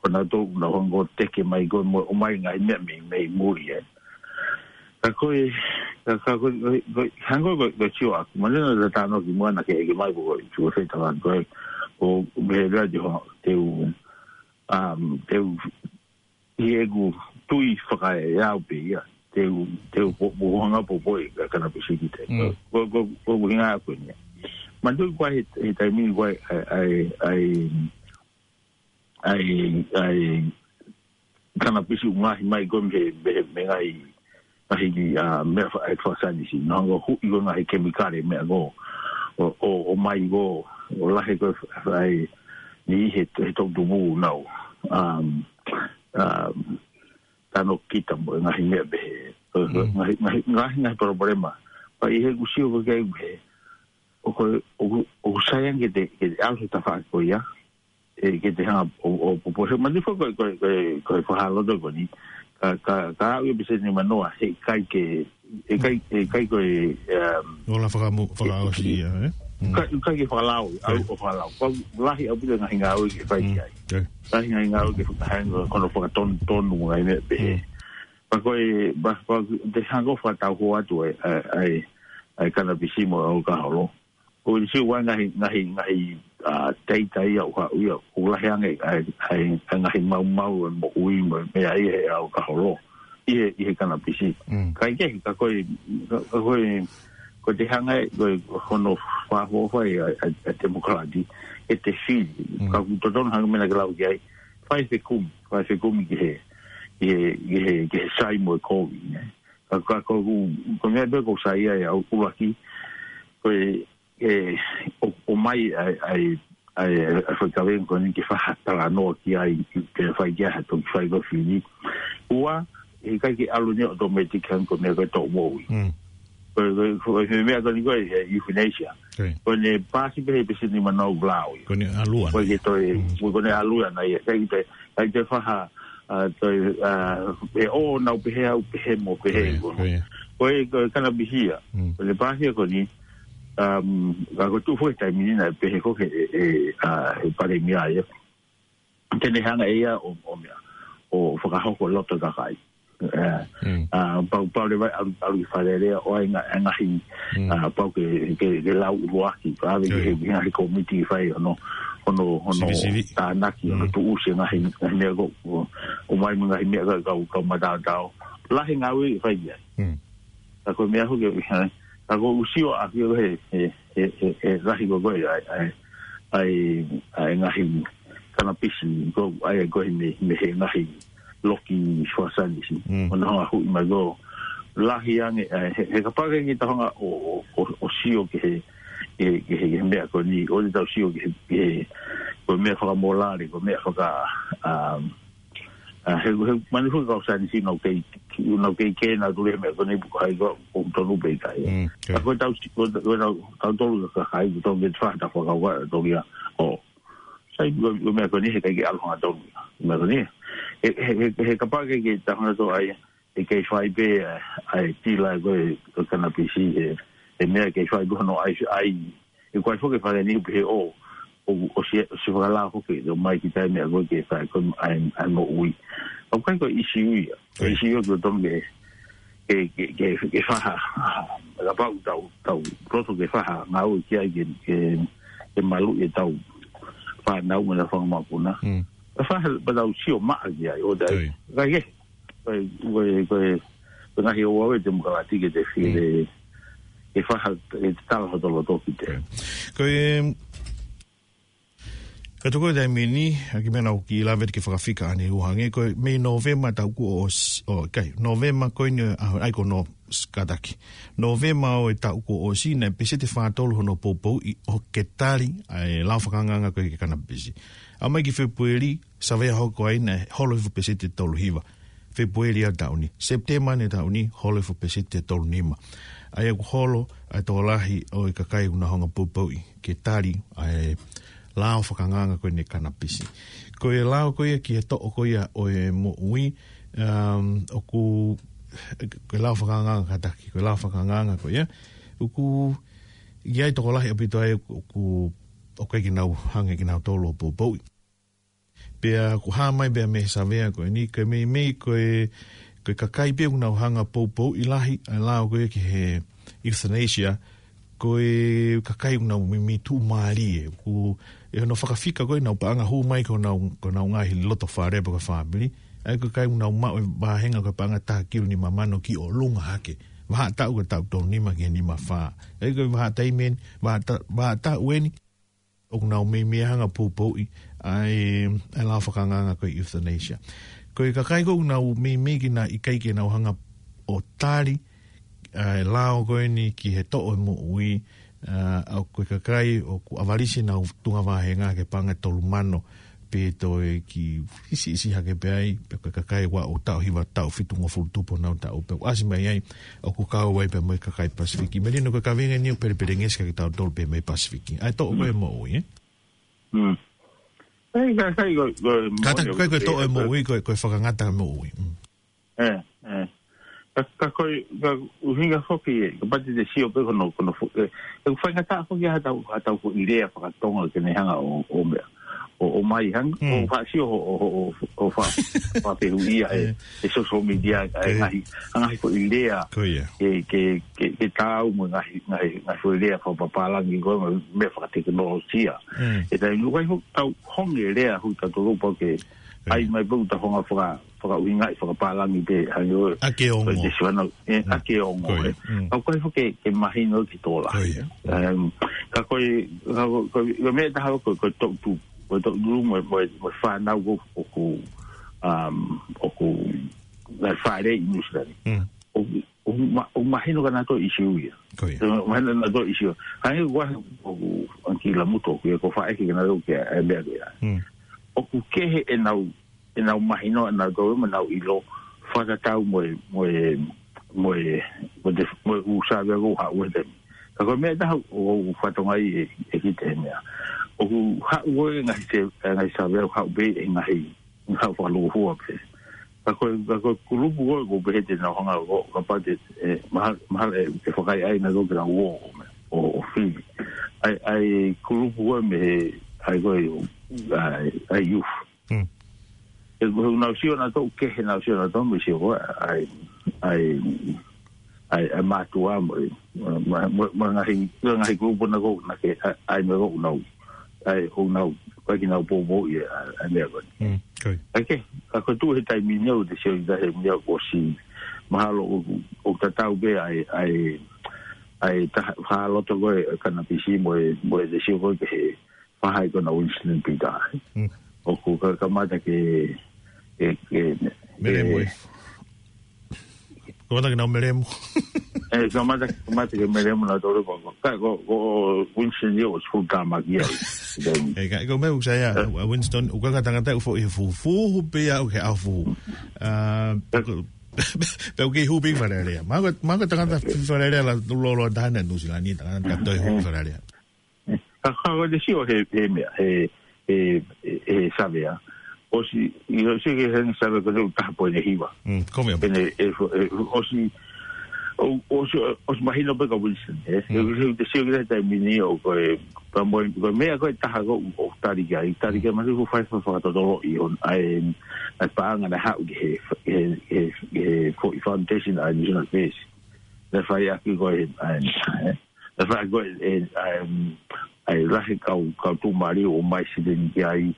Ko nautolu naʻa nau hanga ʻo teke mai ko e mo-, ʻomai ngaahi meʻa mei, mei muli, ē. Ka ko e, ka, ka ko e, ko e, ko e, hangē ko e, ko e sio ʻaku, manatuʻi naʻa ta talanoa kimuʻa naʻa ke ʻeke mai ko e, ko e sio he tafaʻaki ko e, ʻo meʻa lea te ho-, te u, um, te u, ʻi heʻeku tui fakaeau pē ia, te u, te u po-, po-, hanga ʻo poupouʻi e kanapisi ki te. Mm. Ko, ko, ko, ko e ʻuhinga ko eni. Manatuʻi ko e he, he taimi ni ko e, ʻa e, ʻa e, ʻa e, ʻa e, ʻa e kanapisi ʻoku ngaohi mai ko e mei he, mei he, mei he ngaahi, ngaahi, ʻa, meʻa fa-, ʻa e fakasaienisi. Naʻa nau huʻi ko e ngaahi kemikale meʻa ko ē, ʻo, ʻo, ʻomai ko ē, ʻo lahi ko e, ʻa e, ni he, he toʻutupu nau. Um, um, tano kita mo e ngaahi meʻa pehē. Mm. Ngaahi, ngaahi, ngaahi, ngaahi palopalema. Pea ʻi heʻeku sio ko ē ki ai, ʻoku, ʻoku, ʻoku sai ange ke te, ke te ʻalu he tafaʻaki ko ia. ʻE, ke te hanga ʻo, ʻo, ʻo, ʻo, he manatuʻi ko e, ko e, ko e, ko e fakahā loto ko eni. Ka, ka, ka aʻu e pēseti nimanoa, heʻikai ke, heʻikai, heʻikai ko e, um, ola fakamu-, fakaʻosi ia, ē? Mm. Ka, ka ke fakalao, ʻai. Au, ʻo fakalao. Ko e lahi ʻaupito e ngaahi ngāue ke fai ki ai. Mm. Lahi ngaahi ngāue ke fakahanga, ko hono fakatonutonu mo e ngaahi meʻa pehē. Mm. Pea ko e, pea, pea te hanga ʻo fakatau ho atu e, ʻa e, ʻa e, ʻa e kanapisi mo e ʻalukaholo. ʻOku ou sio ʻoku ʻi ai e ngaahi, ngaahi, ngaahi, ʻa, teitei ia ʻoku haʻu ia, ʻoku lahi ange, ʻa e, ʻa e, ʻa e ngaahi maumau ʻo e moʻui mo e meʻa ia he ʻalukaholo. ʻI he, ʻi he kanapisi. Mm. Kae kehe, ka ko e, ka, ka ko e, ko e te hanga ʻe, ko e hono fakaʻofoʻofa ʻa e, ʻa e, ʻa e temokalati, ʻe te fili. Mm. Ka ʻoku totonu hangē ko e meʻa naʻa ke lau ki ai, fai fekumi, fai fekumi ki he, ki he, ki he, ki he sai mo e kovi, nē. Ka, ka, ko, ko, ko e meʻa pē ʻoku ou saiʻia ai au ʻuluaki, ko e, ʻe, ʻo, ʻomai ʻa e, ʻa e, ʻa e, ʻa e faikaveinga ko eni ke fai ha talanoa ki ai, ke fai ki ai ha toki fai ko e fili. Ua, heʻikai ke ʻalu eni automatic hangē ko e meʻa ko e toʻo moʻui. Mm. Ko e, ko e, ko e, ko e meʻa ko eni ko e, e euthanasia. Ko eni. Ko eni paasi pē he pēseti nimanoa ʻoku lau ia. Ko eni ʻalu ʻana. Ko e ke toe, mm, ko eni ʻalu ʻana ia. ʻIkai ke toe, ʻikai ke toe fai ha, ʻa, toe, ʻa, ʻe ʻo nau pehē au pehē mo pehē. Ko ia, ko ia. Ko e, ko e kanapisi ia. Mm. Ko eni paasi ia ko eni, um, ka ko e tuʻu foki he taimi ni naʻe pehē ko e, ʻe, ʻe, ʻa, he palēmia ia. Te ne hanga ʻe ia ʻo, ʻo meʻa, ʻo fakahoko loto kakai. ʻE, mm, ʻa, pau, pau leva ʻalu, ʻalu ki Fale Alea ʻo ʻai e ngaahi, mm, ʻa, pau ke, ke, ke lau ʻuluaki, pea ʻave ki he, ʻio, ki he ngaahi kōmiti fai hono, hono, hono sivi, sivi, tānaki, hono, mm, tuʻusi e ngaahi, ngaahi meʻa ko, ko, ʻomai mo e ngaahi meʻa ko e kau, kau mataotao. Lahi e ngāue ʻe fai ki ai. Mm. Ka ko e meʻa hoki, ʻe, ka ʻoku ou sio ʻaku ia he, he, he, he, he lahi ko ē ʻa e, ʻa e, ʻa e, ʻa e ngaahi kanapisi, ko e ʻai ko ē mei, mei he ngaahi loki fakasaienisi. Mm. ʻO nau hanga ʻo huʻi mai ko e lahi ange, ʻa e, he, he kapau ʻe ke tau hanga ʻo, ʻo, ʻo, ʻo sio ki he, ki he, ki he, ki he meʻa ko eni, ʻoua te tau sio ki he, ki he, ko e meʻa fakamōlale, ko e meʻa faka-, um, ʻA, he, he, manatuʻi e kau saienisi nau kei, nau kei kē nautolu he meʻa ko eni pe ko hai ko e tonu pe ʻikai. Mm, okay. Ka ko e tau, ko e, ko e tau, tautolu ka kai, ko e tau ke fai ha fakakaukau, tau ia, ʻo. Sai, ko e, ko e meʻa ko eni heʻikai ke ʻalu hangatonu ia. Meʻa ko eni. He, he, he, he kapau ʻe ke, ke tau hangatonu ai, ʻe kei fai pē, ʻa, ʻa e tila ko e, ko e kanapisi, he, he meʻa kei fai pē hono ʻai, ʻai, ʻe ko e foki e fale ni pē he ʻo, ʻo, ʻo si, ʻo si fakalao foki, ʻo mai ki tai meʻa ko ē ke fai ko e ʻai, ʻai moʻui. ʻOku ʻikai ko e ʻisiū ia. Ko e ʻisiū ia ko e tonu ke, ke, ke, ke, ke fai ha, kapau tau, tau, loto ke fai ha ngāue ki ai ke, ke, ke maluʻi e tau fānau mo e fanga mokopuna. Mm. Ke fai ha, pea tau sio maʻa ki ai, ʻo tai. Ko ia. Ka ke, ko e, ko e, ko e, ko e ngaahi ʻoku ʻave e temokalati ke te fili, mm, ke fai ha, ke te tala hoto loto ki te. Ko e, ka toko e taimi ni, ʻa e kiʻi meʻa naʻa ku kiʻi lave ke fakafika ʻanenai ʻo hangē, ko e mei Nōvema taʻu kuo ʻosi, ʻo, kai, Nōvema ko eni, ʻa, ʻai ko Nō-, kātaki. Nōvema ʻo e taʻu kuo ʻosi naʻe peseti fā tolu hono poupouʻi ʻo ke tali ʻa e lao fakaangaanga ko ē ki he kanapisi. ʻAlu mai ki Fēpueli, Savea hoko ai naʻe holo hifo peseti ʻe tolu hiva. Fēpueli ʻo e taʻu ni. Sepitema ʻo e taʻu ni, holo hifo peseti ʻe tolu nima. ʻA ia ʻoku holo ʻa e tokolahi ʻo e kakai ʻoku nau hanga ʻo poupouʻi ke tali ʻa e lao fakaangaanga ko eni e kanapisi. Ko e lao ko ia ki he toʻo ko ia ʻo e moʻui, um, ʻoku, ko e lao fakaangaanga kātaki, ko e lao fakaangaanga ko ia, ʻoku ʻi ai tokolahi ʻaupito ai ʻoku, ʻoku ʻikai ke nau hanga ʻe kinautolu ʻo poupouʻi. Pea ʻoku hā mai pea mei he savea ko eni, ko e meimei ko e, ko e kakai pē ʻoku nau hanga ʻo poupouʻi lahi ʻa e lao ko ē ki he euthanasia, ko e kakai ʻoku nau meimei tuʻumālie. ʻOku, ʻi hono fakafika ko ē ʻenau paʻanga hū mai ki honau, ki honau ngaahi loto fale pe ko e fāmili, ʻa ia ko e kakai ʻoku nau maʻu e vāhenga ko e paʻanga taha kilu nima mano ki ʻolunga hake. Vahaʻa taʻu ko e taʻu tolu nima ki he nima fā. ʻA ia ko e vahaʻa taimi eni, vahaʻa ta-, vahaʻa taʻu eni, ʻoku nau meimei hanga ʻo poupouʻi ʻa e, ʻa e lao fakaangaanga ko e euthanasia. Ko e kakai ko ē ʻoku nau meimei ke nau ʻikai ke nau hanga ʻo tali ʻa e lao ko eni ki he toʻo e moʻui, ʻa, ʻa ko e kakai ʻoku ʻavalisi ʻenau tuʻunga vāhenga ki he paʻanga ʻe tolu mano, pe toe kiʻi siʻisiʻi hake pē ai, pe ko e kakai ʻoku ʻi ai ʻo taʻu hiva, taʻu fitungofulu tupu honau taʻu, pea ʻoku ʻasi mai ai ʻoku kau ai pē mo e kakai Pasifiki. Melino, ko e kaveinga eni ʻoku pelepelengesi kiate kitautolu pē mei Pasifiki. ʻA e toʻo ko ē e moʻui, ē? Mm. Ei, ka, ka, ko, ko, Kātaki, moʻoni ʻoku ko e toʻo e moʻui, ko e, ko e fakangata e moʻui. Mm. Ē, ē. Ka, ka ko e, ka ʻuhinga foki ē, kapau te te sio pē ko hono, ko hono fo-, ē, ʻoku faingataʻa foki ha tau, ha tau foʻi lea fakatonga ke ne hanga ʻo, ʻo meʻa, ʻo, ʻo mai hanga, Mm. ʻo faʻa sio ʻo, ʻo, ʻo, ʻo faʻa, faʻa fehuʻia ē, Ē. ʻe social media, ʻa e Ē. ngaahi, ngaahi foʻi lea, Ko ia. ke, ke, ke, ke taau mo e ngaahi, ngaahi, ngaahi foʻi lea fakapapālangi ko ē mo e meʻa fakatekinolosia. Mm. ʻE taimi ʻoku ʻikai foki tau honge lea hui ka tolo pau ke Ē. ʻai mai pau ta honga faka-, fakaʻuhingaʻi fakapālangi pē, hangē ʻoku ʻAke ongo. ko e te siwana, ē, Mm. ʻake ongo, Ko ia. ē. Mm. Ka ʻoku ʻikai foki ke, ke mahino ki tola. Ko ia. Em, ka ko e, ka ko, ko, ko e meʻa taha ko, ko e toʻutupu, ko e toʻutupu mo, mo, mo e fānau ko, ʻoku, um, ʻoku, ngaahi fālei ʻi Nuʻusila ni. Mm. ʻOku, ʻoku ma-, ʻoku mahino kia nautolu e ʻīsiu ia. Ko ia. ʻOku mahino kia nautolu e ʻīsiu. Hangē ko e, ʻoku ʻalu ki Lamuto, ko e ko faʻa ʻeke kia nautolu ki he meʻa ko ia. Mm. ʻOku kehe ʻenau, ʻenau mahino ʻanautolu mo ʻenau ʻilo fakatatau mo e, mo e, mo e, mo e te-, mo e ʻū savea ʻoku haʻu he taimi. Ka ko e meʻa taha ʻoku ou fatongia ʻe, ʻe kita he meʻa. ʻOku haʻu ʻo e ngaahi se-, ngaahi savea ʻoku haʻu pē ʻe ngaahi, ngaahi haʻu fakalūkufua pē. Ka ko e, ka ko e kulupu ko ē ʻoku pehē te nau hanga ʻo, kapau te, ē, mahalo, mahalo ʻe, ʻe fakaʻaiʻai nautolu ke nau ō, ʻo, ʻo fili. ʻA e, ʻa e kulupu ko ē mei he, ʻa e ko e, ʻa e, ʻa e youth. Mm. ʻE, ʻoku nau sio nautolu, kehe ʻenau sio nautolu mei he sio ko ē, ʻa e, ʻa e, ʻa e, ʻa e mātuʻa mo e, mo, mo, mo e ngaahi, mo e ngaahi kulupu naʻa ko, naʻa ke, ʻa, ʻa e meʻa ʻoku nau, ʻa e, ʻoku nau, ʻikai ke nau poupouʻi ʻa, ʻa e meʻa ko ē. Mm, ko ia. ʻA ia ke, ka ko e tuʻu he taimi ni ʻoku te sio ʻi he meʻa ʻoku ʻosi, mahalo ʻoku, ʻoku tatau pē ʻa e, ʻa e, ʻa e taha, hā loto ko ē, kanapisi mo e, mo e te sio ko ē ki he, fakahā ko ena Winston Peters. Mm. ʻOku ka, kamata ke, ke, ke, Melemo, ē. ē. Kamata ke nau melemo. Ē, kamata, kamata ke melemo nautolu ko, ko, ka, ko, ko Winston ia ʻoku full time ki ai. Ē, ka, ko e meʻa ʻoku sai ʻa, Ē. ʻa Winston, ʻoku ʻikai ko ha tangata ʻoku foʻi he fuhu, fuhu pē ia ʻoku ke ʻafu. ʻA, Ē. pe ko, pe ʻoku ke hū pē ki Fale Alea. Mahalo ko e, mahalo ko e tangata Ē. foʻi Fale Alea la, lolo tahana Nuʻusila ni, tangata toe hū ki Ē. Fale Alea. Ka, ka ko e te sio he, he meʻa, he, he, he, he savea. ʻOsi, ʻi ʻosi ke he savea ko e taha poini hiva. Mm, ko e meʻa. Pea ne, e, e, ʻosi, ʻo, ʻosi, ʻosi mahino pē kia Winston, ē. Mm. He, he te sio ki he taimi ni ʻoku ko e, ka mo, ko e meʻa ko ē taha ko ē ʻoku tali ki ai, tali ki ai, Mm. mahalo ʻoku fai fa-, fakatotoloʻi ʻo e, ʻa e paʻanga naʻe haʻu ki he, he, he, he foʻi foundation ʻa e New Zealand First. Naʻe fai ʻaki ko ē, ʻa e, ʻa e, Naʻe fai ko ē, ʻa e, ʻa e lahi kau, kau tuʻumālie ʻo ʻomai silini ki ai,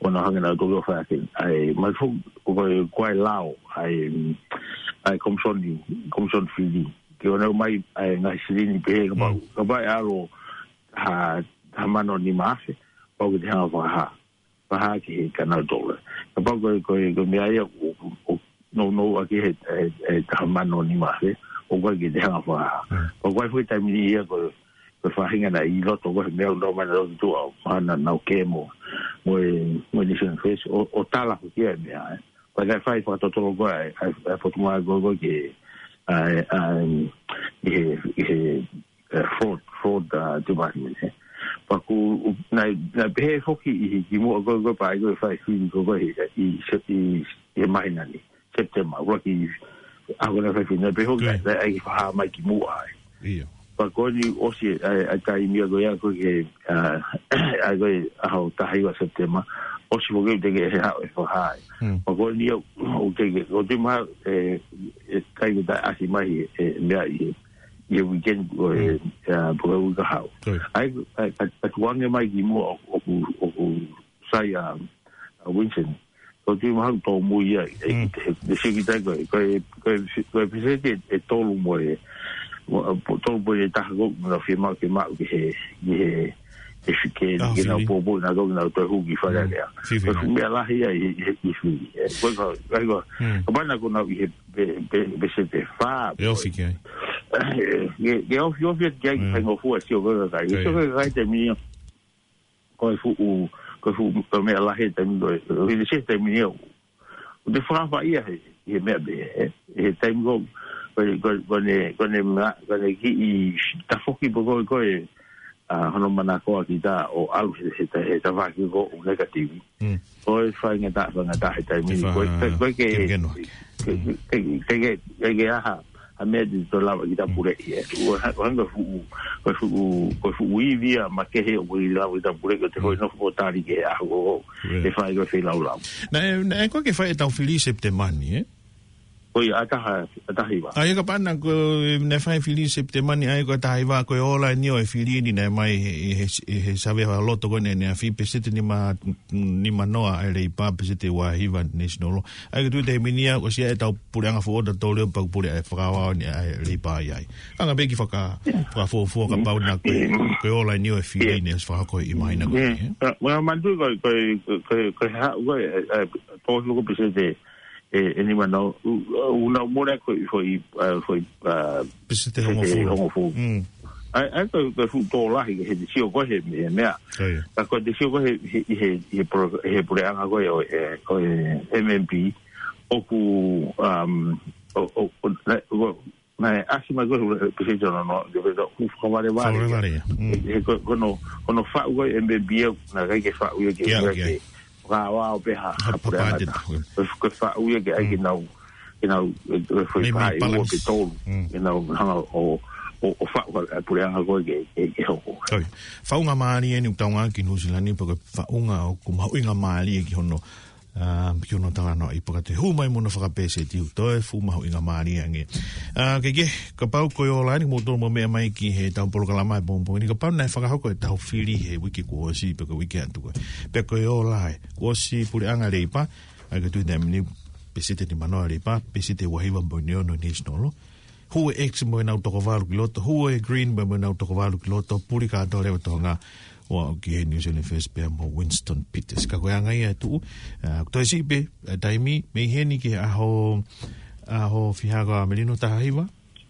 ʻo nau hanga nautolu ʻo fai ʻaki, ʻa e, mai fo-, ko e, ko e lao, ʻa e, ʻa e komisoni, komisoni fili. Ke ʻoua naʻa ʻomai, ʻa e ngaahi silini pehē, kapau, Mm. kapau ʻe ʻalu ha, ha mano nima afe, pau ke te hanga ʻo fakahā. Fakahā ki he kinautolu. Kapau ko e, ko e, ko e meʻa ia ʻoku, ʻoku, ʻoku nounou ʻaki he, he, he taha mano nima afe, ʻoku ʻikai ke te hanga ʻo fakahā. Pea ko e foʻi taimi ni ia ko, ko e faʻahinga naʻe ʻi loto ko ē he meʻa ʻoku nau ō mai naʻa nau tuʻu ʻo, ʻa, naʻa nau kemo mo e, mo e Nation First, ʻo, ʻo tala ko ia e meʻa, ē. Pea naʻe fai fakatotolo ko ē, ʻa, ʻa, ʻa e Potungāue ko ē ke, ʻa, ʻa, ʻi he, ʻi he, ʻa, fraud, fraud, ʻa, department, ē. Pea ʻoku, naʻe, naʻe pehē foki ʻi he kimuʻa ko ē, ko e pā ʻi ko e fai fili ko ē, ko ē, ʻi, ʻi, ʻi, ʻi he māhina ni. September, ʻuluaki ʻaho naʻe fai fili, naʻe pehē foki, naʻe, naʻe ʻai ke fakahā mai kimuʻa ai. Pea ko eni ʻosi ʻa e, ʻa e taimi ia ko ia ko ē, ʻa, ʻa ko e ʻaho taha hiva September, ʻosi foki ʻoku teʻeki ke haʻu e fakahā. Pea ko eni ia, ʻoku teʻeki, ʻoku teʻeki mahalo, ē, ʻe ʻikai ke toe ʻasi mai e, e meʻa ʻi he, ʻi he weekend ko ē, ʻa, pea ko e uike kahaʻu. ʻA e, ʻa e, ʻa e tukuange mai kimuʻa ʻoku, ʻoku, ʻoku sai ʻa, ʻa Winston. Ko e tui mahalo tōmui ia, ʻe, ʻe, ʻe sio ki ai ko e, ko e, ko e, ko e peseti ʻe, ʻe tolu mo e, mo, tolu poini taha ko ē, naʻa nau fiemaʻu, fiemaʻu ki he, ki he, ki he, ki he, ki he nau pōpō, naʻa nau, nau toe hū ki Fale Alea. Ko e fuʻu meʻa lahi ia ʻi, ʻi, ʻi Fili. Ē, ko e ka, ka, ka, kapau naʻa nau ʻi he, pe, pe, peseti ʻe fā. ʻE ofi ki ai. Ē, ke, ke ofi, ofi atu ki ai, ki he faingofua sio ko ē kakai. Sio ko ē kakai taimi ni ia. Ko e fuʻu, ko e fuʻu, ko e meʻa lahi he taimi ko ē, ʻi he taimi ni ia, ʻoku te fakafaʻia he, he meʻa pē, ē, he taimi ko, ko, ko, ko ʻene, ko ʻene ma-, ko ʻene kiʻi tafoki pē ko ē, ko e, ʻa, hono manakoa kita ʻo ʻalu he, he, he tafaʻaki ko ē ʻoku negative. Ko e faingataʻa, faingataʻa he taimi ni, ko e, ko e, ko e ke, ke, ke, ke, ke, ke, ke aha, ʻa e meʻa te tau lava kita puleʻi, ē. ʻOku ha-, ʻoku hangē ko e fuʻu, ko e fuʻu, ko e fuʻu ivi ia makehe ʻoku ʻikai lava kita puleʻi, ʻo te hoi nofo ʻo tali ki he ʻaho ʻoku fai ko ē feilaulau. Naʻe, naʻe ʻikai ke fai ʻetau fili September ni, ē? ʻIo, ʻa e taha, ʻa e taha hiva. ʻA ia kapau naʻe, ko e, naʻe fai fili September ni, ʻa ia ko e taha hiva, ko e ola eni ʻo e fili ni naʻe mai he, he, he, he savea fakaloto ko ē ʻaneafi, peseti nima, nima noa ʻa e Leipa, peseti ua hiva National. ʻA ia ko e tui taimi ni ia, ʻosi ʻa ʻetau puleʻanga foʻou ʻo tau leo pau pule ʻa e fakaaoao ni ʻa e Leipa ʻi ai. Anga pē ki he faka-, fakafuofua kapau naʻe ko e, ko e ola eni ʻo e fili ni, ʻosi fakahoko ʻi māhina ko ē, ē? Ka, ma, manatu ko e, ko e, ko e, ko e haʻu ko ē, ē, ē, tō hifo ko e peseti ʻe, ʻe nima noa, ʻo, ʻo, ʻo nau mole ko e foʻi, ē, foʻi, ē, peseti hongofulu. Hongofulu. ʻA ia, ʻa ia ko e, ko e fuʻu tō lahi he te sio ko ē he, he meʻa. Ka ko e te sio ko ē he, he, he, he pro-, he puleʻanga ko ē ʻo e, ʻo e M M P, ʻoku, um, ʻo, ʻo, ʻo, naʻe, ʻo, naʻe ʻasi mai ko ē he peseti ono noa, ke pehē ʻoku fakavalevale. Fakavalevale ia. He, he ko, ko hono, ko hono faʻu ko ē M M P ia, naʻe ʻikai ke faʻu ia ke, ke, ke fakaaoao pē ha, ha puleʻanga. Ko e, ko e faʻu ia ke ʻai ke nau, ke nau, ē, ʻe foʻi pā ʻe ua pe tolu. Ke nau hanga ʻo, ʻo, ʻo faʻu ʻa e puleʻanga ko ē ke, ke, ke hoko. Faʻunga mālie eni ʻoku tau ngāueʻaki ʻi Nuʻu Sila ni, pea ko e faʻunga ʻoku mahuʻinga mālie ki hono, ā, ki hono talanoaʻi pea ka te hū mai mo hono fakapeseti ʻoku toe fuʻu mahuʻinga mālie ange. Ā, ke, ke, kapau ko e ola eni, mou tolu mou meʻa mai ki heʻetau polokalama he pongipongi ni, kapau naʻe fakahoko ʻetau fili he uike kuo ʻosi, pe ko e uike atu ko ē. Pea ko e ola ē, kuo ʻosi puleʻanga Leipa, ʻa ia ko e tui taimi ni, peseti nima noa Leipa, peseti ua hiva poini ono National. Hū e X mo ʻenau toko valu ki loto, hū e Green mo, mo ʻenau toko valu ki loto, puli kātoa leva Tonga, ʻo aʻu ki he New Zealand First pea mo Winston Peters. Ka ko e anga ia ʻe tuʻu, ā, toe siʻi pē, ā, taimi, mei heni ki he ʻaho, ʻaho fiha ko ā Melino, taha hiva?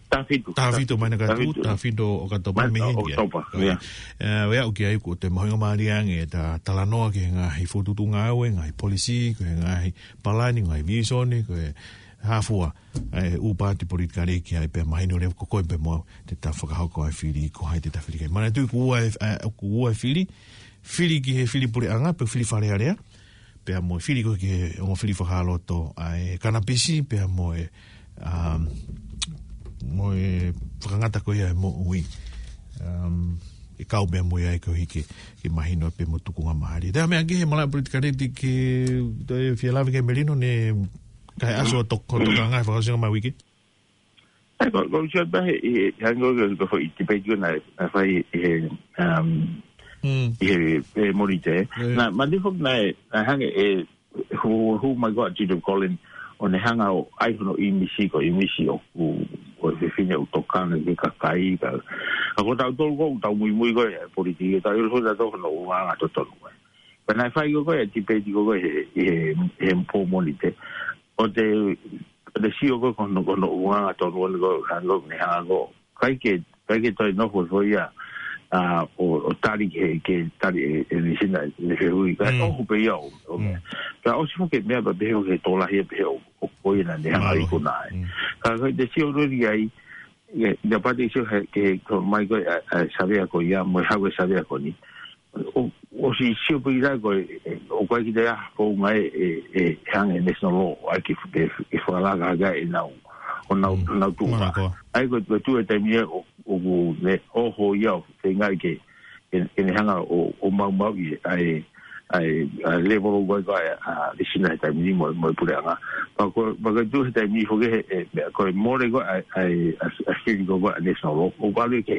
Taha fitu. Taha fitu, māhina ka tuʻu, taha fitu ʻOkatopa, mei heni ki ai. ʻOkatopa, ʻio. Ā, ʻo aʻu ki ai kuo toe mahuʻinga mālie ange ʻeta talanoa ki he ngaahi fokotuʻutuʻu ngāue, ngaahi polisī, ko e ngaahi palani, ngaahi vīsone, ko e hā fua, ē, ʻū paati politikale ki ai pea mahino leva ko koe pē mo au te ta fakahoko ʻa e fili, ko hai te ta fili ki ai. Manatuʻi kuo ua e, ē, kuo ua e fili, fili ki he fili puleʻanga, pe fili Fale Alea, pea mo e fili ko ē ki he ongo fili fakaloto, ʻa e kanapisi, pea mo e, um, mo e fakangata ko ia e moʻui. Um, ʻe kau pē mo ia ʻe koeʻuhi ke, ke mahino pē mo tukunga mālie. Te meʻa ki he malaʻe politikale te ke, te fie lave ki ai Melino, ne Kae ʻaso ʻo toko, tokanga he fakaʻosinga mai uike. ʻAi, ko, ko u sio pē he, he, hangē ko e, ko e foʻi tipeiti ko ē naʻe, naʻe fai he, um, ʻi he, he Mōnite. Naʻe, manatuʻi foki naʻe, naʻe hangē ʻe, hū, hū mai ko ē ʻa Judith Collins, ʻo ne hanga ʻo ʻai hono ʻīmisi ko e ʻīmisi ʻoku, ʻo e fefine ʻoku tokanga ki he kakai, ka, ka ko tautolu ko ē, tau muimui ko ē, ʻa e politiki, tau ʻilo foki tautolu hono ʻulungaanga totonu ko ē. Pea naʻe fai ko ē, ko e tipeiti ko ē he, he, he pō Mōnite. ʻO te, Te sio ko e ko hono, ko hono ʻulungaanga tonu ʻo ne ko, hanga ʻo ne hanga ʻo. ʻIkai ke, ʻikai ke toe nofo foʻi ia, ʻa, ʻo, ʻo tali ke, ke tali e, e nisina, ne fehuʻi. Ka ʻoku pē ia ʻo, ʻo meʻa. Ka ʻosi foki e meʻa pea pehē ʻoku tokolahi ia pehē ʻo, ʻo ko ia naʻa ne hanga ʻi ko naʻe. Ka, ka te sio lori ai, ʻIa, ʻia pati sio he, ke he, ko mai ko e, ʻa, ʻa, savea ko ia, mo e hau e savea ko eni. ʻO, ʻosi sio pē ʻi ai ko e, ʻe, ʻoku ʻikai ke toe ʻi ai ha founga ʻe, ʻe, ʻe hanga ʻe he national law, ʻai ke, ke, ke fakalaka hake ʻenau, ʻo nau, nau tuʻu. ʻAi ko e, ko e tuʻu he taimi ʻe, ʻo, ʻoku ne ʻoho ia ʻo feinga ke, ke, ke ne hanga ʻo, ʻo maumauʻi ʻa e, ʻa e, ʻa e level ʻoku ʻi ai ko ē ʻa e, ʻa e nisina he taimi ni mo, mo e puleʻanga. Pea ko, pea ko e tuʻu he taimi ni foki he, ʻe, meʻa ko e mole ko ē ʻa e, ʻa e, ʻa e, ʻa e fili ko ē ʻa e national law. ʻOku ʻalu ke,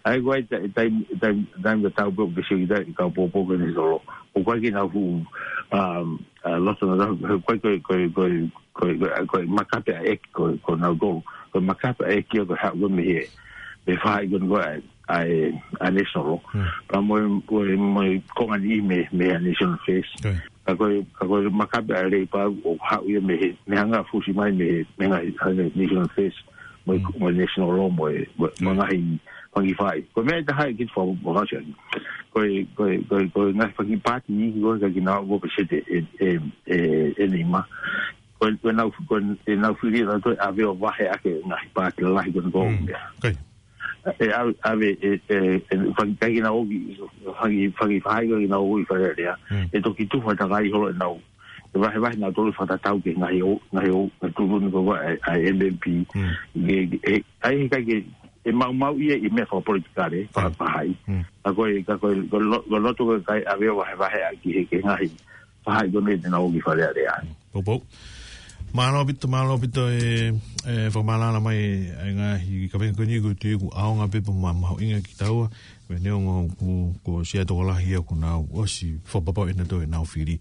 ʻai ko e taimi, taimi, taimi ka tau pē ʻo ke sio ki ai, ka pōpō ko e national law. ʻOku ʻikai ke nau fuʻu, um, ʻa, loto na, ko e, ko e, ko e, ko e, ko e, ko e, ko e makape ʻa e ʻEiki, ko e, ko e nau tolu. Ko e makape ʻa e ʻEiki ko e haʻu ko ē mei he, mei he faʻahi ko eni ko ē ʻa e, ʻa e, ʻa e national law. Pea mo e, mo e, mo e konga ni mei, mei he national affairs. Ka ko e, ka ko e makape ʻa e Labour ʻoku haʻu ia mei he, mei he anga fusi mai mei he, mei he anga, anga national affairs. Mo e, mo e national law, mo e, mo e, mo e ngaahi fanga kiʻi faʻahi. Ko e meʻa ʻe taha ʻe kei fakaʻosi. Ko e, ko e, ko e, ko e ngaahi fanga kiʻi paati ni, ko e ka kina o peseti ʻe, ʻe, ʻe, ʻe nima. Ko e, ko e nau, ko e, ʻe nau fili ʻe nautolu ʻave ʻo vaheʻaki e ngaahi paati lalahi ko eni ko ē. ʻE ʻave, ʻave, ʻe, ʻe, ʻe, fanga kiʻi, ʻikai ke nau ō ki, fanga kiʻi, fanga kiʻi faʻahi ʻikai ke nau ō ki Fale Alea. ʻE toki tufa takai holo ʻenau. ʻE vahevahe nautolu fakatatau ki he ngaahi ʻo, ngaahi ʻo, ngaahi tuʻutuʻuni ko ē ʻa e, ʻa e M M P. ʻE, ʻe, ʻai he ʻikai ke, ʻe maumauʻi ia ʻi he meʻa fakapolitikale, fakafaʻahi. Ka ko e, ka ko e, ko e lo-, ko e loto ko ē ʻikai ʻave ʻo vahevaheʻaki he, ki he ngaahi faʻahi ko eni te nau ō ki Fale Alea. Poupou. Mālō ʻaupito, mālō ʻaupito e, e fakamālō mai e ngaahi kaveinga ko eni ko e tui ʻoku ʻaonga pē pea mahuʻinga kiate kitaua. Ko e neongo ʻoku, ko Sia Tokolahi ia ʻoku nau ʻosi fakapapauʻi nautolu ʻenau fili.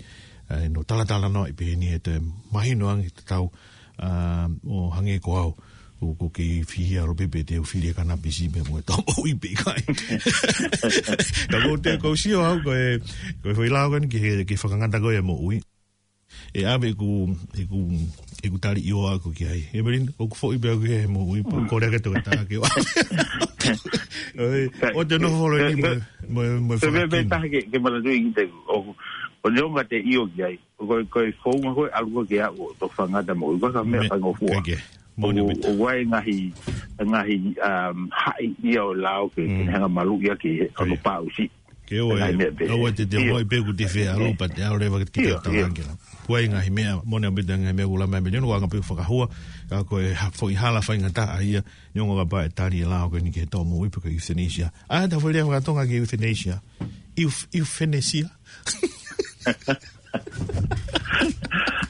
ʻE, nau talatalanoaʻi pē eni he toe mahino ange tatau, ʻa, ʻo hangē ko au. ʻOku, ʻoku kei fihia ʻalu pē pea te u fili e kanapisi pē mo e tau moʻui pe ʻikai. Ka ʻoku ou tui ʻoku ou sio au ko e, ko e foʻi lao ko eni ke, ke fakangata ko ē e moʻui. ʻE ʻave ʻeku, ʻeku, ʻeku tali ʻi ʻoa ko ki ai. ʻE Melinda, ʻoku foʻi pē au ki he moʻui pea kole ke toka tā ke ʻoa. ʻOi, ʻoua te nofo holo eni mo, mo, mo e fakakimu. Taha ke, ke manatuʻi kiate au, ʻo neongo te ʻio ki ai. Ko e, ko e founga ko ē ʻalu ko ē ke aʻu ʻo toki fakangata moʻui. Ko e ka meʻa faingofua. ʻOku ʻi ai e ngaahi, ngaahi, um, haʻi ia ʻo e lao ke, ke ne hanga maluʻi ʻaki he, ʻa e pāusi. Ke ʻoua ʻe, ʻoua te te ʻomai pē ʻoku te fie ʻalu pea te ʻalu leva ke te talaange la. ʻOku ʻi ai e ngaahi meʻa, moʻoni ʻaupito e ngaahi meʻa ʻoku lava mai Melinda, ʻoku anga pē ʻeku fakahua, ka ko e ha-, foʻi hala faingataʻa ia, neongo kapau ʻe tali e lao ko eni ki he tau moʻui pe ko e euthanasia. ʻA, ta foʻi lea fakatonga ki he euthanasia. Euf-, euthanasia.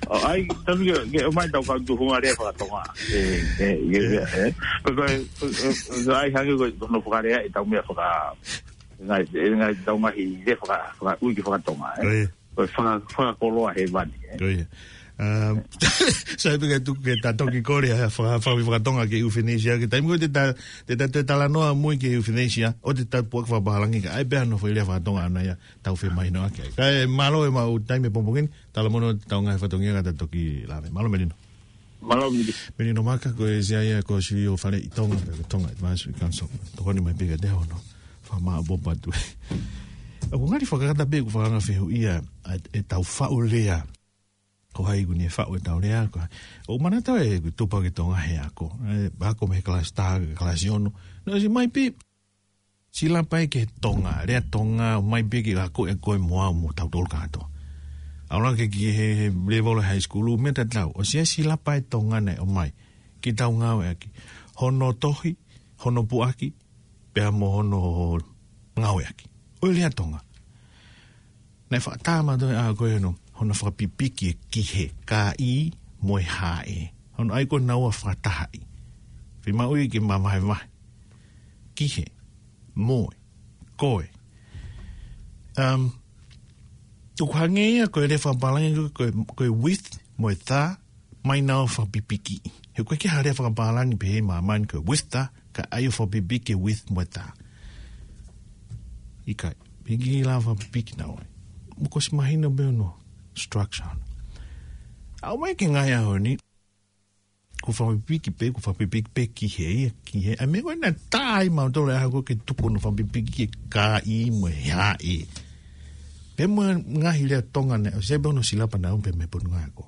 ʻO ʻai, tanu ke, ke ʻomai tau kau tuʻunga lea fakatonga. ʻE, ʻe, ʻe, ʻe. Ko, ko, ko, ko, ʻai hangē ko, ko hono fakalea ʻetau meʻa faka-, ngaahi, ngaahi tau ngaahi lea faka-, fakaʻuiki fakatonga, ʻe. Ko e faka-, fakakoloa hēvani, ʻe. Um, sai pē ke tuku ke ta toki kole ha faka-, faka-, fakatonga ki he euthanasia, ki he taimi ko ē te ta, te ta, te talanoa mo e ki he euthanasia, ʻoua te ta puʻaki fakapālangi ka ʻai pē hano foʻi lea fakatonga ʻana ia, tau femahinoʻaki ai. Kae mālō e maʻu taimi he pongipongi ni, talamonū atu e tau ngaahi fatongia ka ta toki lave. Mālō Melinda. Mālō Melinda. Melinda Maka, ko e C I A ko e C E O Fale ʻi Tonga, ko e Tonga Advisory Council. Tokoni mai pē kiate au hono fakamāʻopoʻopo atu. ʻOku ngali fakakata pē ʻeku fakaanga fehuʻia, ʻa, ʻetau faʻu lea. Ko hai ʻoku ne faʻu ʻetau lea, ko hai. ʻOku manatu ʻeku tupu ki Tonga he ako. ʻE, ako mei he kalasi taha ki he kalasi ono. Naʻe ʻosi mai pē, Silapa ia ki he Tonga, lea Tonga, ʻomai pē ke ako ʻe koe mo au mo tautolu kātoa. ʻAlu ange ki he, he level high school, meʻa tatau. ʻOsi ʻa e silapa ʻa e Tonga naʻe ʻomai ke tau ngāueʻaki. Hono tohi, hono puʻaki, pea mo hono ngāueʻaki. ʻO e lea Tonga. Naʻe fakatātā ʻa koe hono, hono fakapipiki e ki he, ka ʻi, mo e hā ʻe. Hono ʻai ko ē naua fakatahaʻi. Fiemaʻu ia ke mavahevahe. Ki he, mo e, ko e. Um, ʻoku hangē ia ko e lea fakapālangi ko e, ko e, ko e with, mo e the, ʻomai naua fakapipiki. He ʻoku ʻikai ke ʻi ai ha lea fakapālangi pehē ʻi māmani ko e with the, ka ʻai ʻo fakapipiki e with mo e the. ʻIkai, piki la fakapipiki naua. Mo ko si mahino pē hono structure. ʻAlu mai ki he ngaahi ʻaho ni, Ko fakapipiki pē, ko fakapipiki pē ki he ia, ki he. ʻA e meʻa ko ē naʻe tā ai mautolu ʻa e ʻaho ko ē ke tuku hono fakapipiki ki he kāʻi mo e haʻi. Pea mo e ngaahi lea Tonga naʻe, ʻosi pē hono silapa naʻe ʻomai pē mei he Potungāue Ako.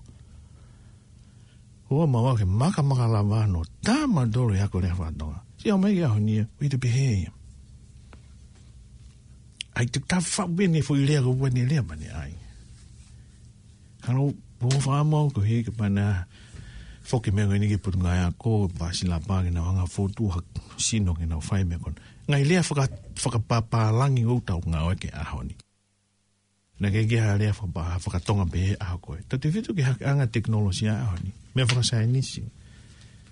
Ua mau ake makamaka lava no tā mautolu e ako lea faka-Tonga. Siʻi ʻomai ki he ʻaho ni ia, ʻoku ʻita pē he ia. ʻAi te tā faʻu pē ʻene foʻi lea ko ua ne lea mane ai. Hano, ʻo faʻa mau ko he ke pana foki meʻa ko eni ki he Potungāue Ako, pasi lapa ke nau anga fotu ha sino ke nau fai meʻa ko ena. Ngaahi lea faka-, fakapapālangi ʻoku tau ngāueʻaki he ʻaho ni. Naʻe ʻikai ke ha lea fakapa-, faka-Tonga pē he ʻaho ko ē. Tautefito ki he hake ʻanga tekinolosia ʻaho ni. Meʻa fakasaienisi.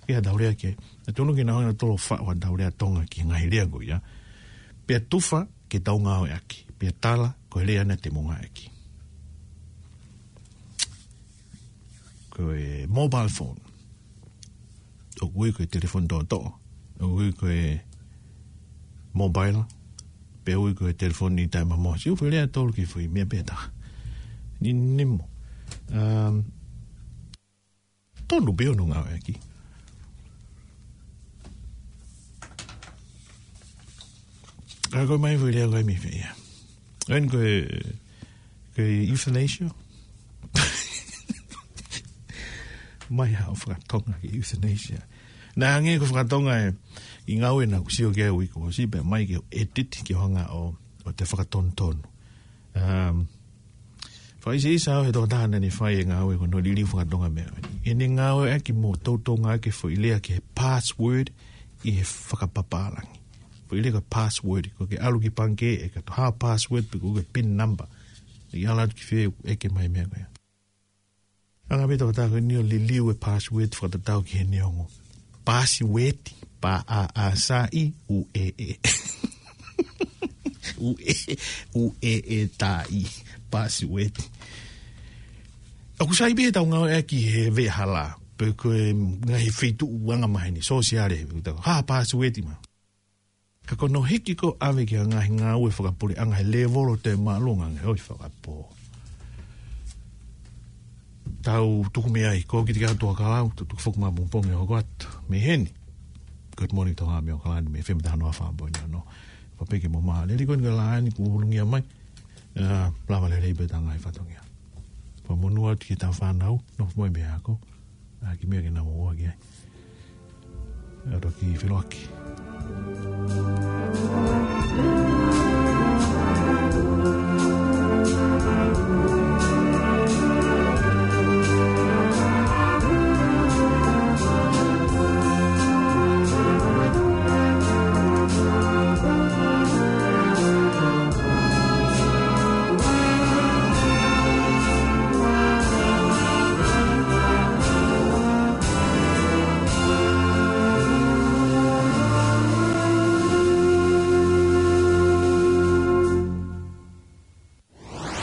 Ke ha tau lea ke. Naʻe tonu ke nau hanga ʻo tolo faʻu ha tau lea Tonga ki he ngaahi lea ko ia. Pea tufa ke tau ngāueʻaki. Pea tala ko e lea naʻa te mo ngāueʻaki. Ko e mobile phone. ʻOku ui ko e telefoni toʻotoʻo. ʻOku ui ko e mobile. Pea ui ko e telefoni taʻemamoa. Siʻi ʻufe lea tolu ki he foʻi meʻa pē taha. Ni, ni mo. Um, tonu pē hono ngāueʻaki. Ka ko e mai foʻi lea ko e mi fea. ʻEni ko e, ko e euthanasia. Mai haʻo faka-Tonga ki he euthanasia. Naʻe hangē ko e faka-Tonga ē, ʻi he ngāue naʻa ku sio ki ai ʻi he uike kuo ʻosi pea mai ke edit ke hanga ʻo, ʻo te fakatonutonu. Um, Fakaʻiseʻisa au he tokotaha naʻa ne fai e ngāue ko hono liliu faka-Tonga meʻa. ʻEne ngāueʻaki mo toutou ngāueʻaki e foʻi lea ki he password ʻi he fakapapālangi. Foʻi lea ko e password, ko e ke ʻalu ki he pangikē ʻe kato ha password pe ko e pin number. ʻE ala atu ki fē ʻe ke mai meʻa ko ia. Anga pē tokotaha ko eni ʻo liliu e password fakatatau ki he neongo. Password, pa a a sa i, u e e. U e, u e e ta i, password. ʻOku sai pē tau ngāueʻaki he veʻehala, pe ko e ngaahi feituʻu anga maheni, sōsiale, ha password ma. Ka ko hono hiki ko ʻave ki he ngaahi ngāue fakapuleʻanga he lēvolo te mālō ngā ngāue fakapō. Tau tuku mei ai, ko ki te kau tua kalau, tau tuku foki mā pongipongi hoko atu. Mei heni. Good morning, Tonga mei Okalani, mei F M taha noa fā poini ono. Papeke mo mā, leli ko ni ka lāni ku ulungia mai. Ā, lava lelei pē tā ngaahi fatongia. Fakamonū atu ki he tau fānau, nofo mo e meʻa ako. Ā, ki meʻa ke nau ō ki ai. Ā, toki feloaki.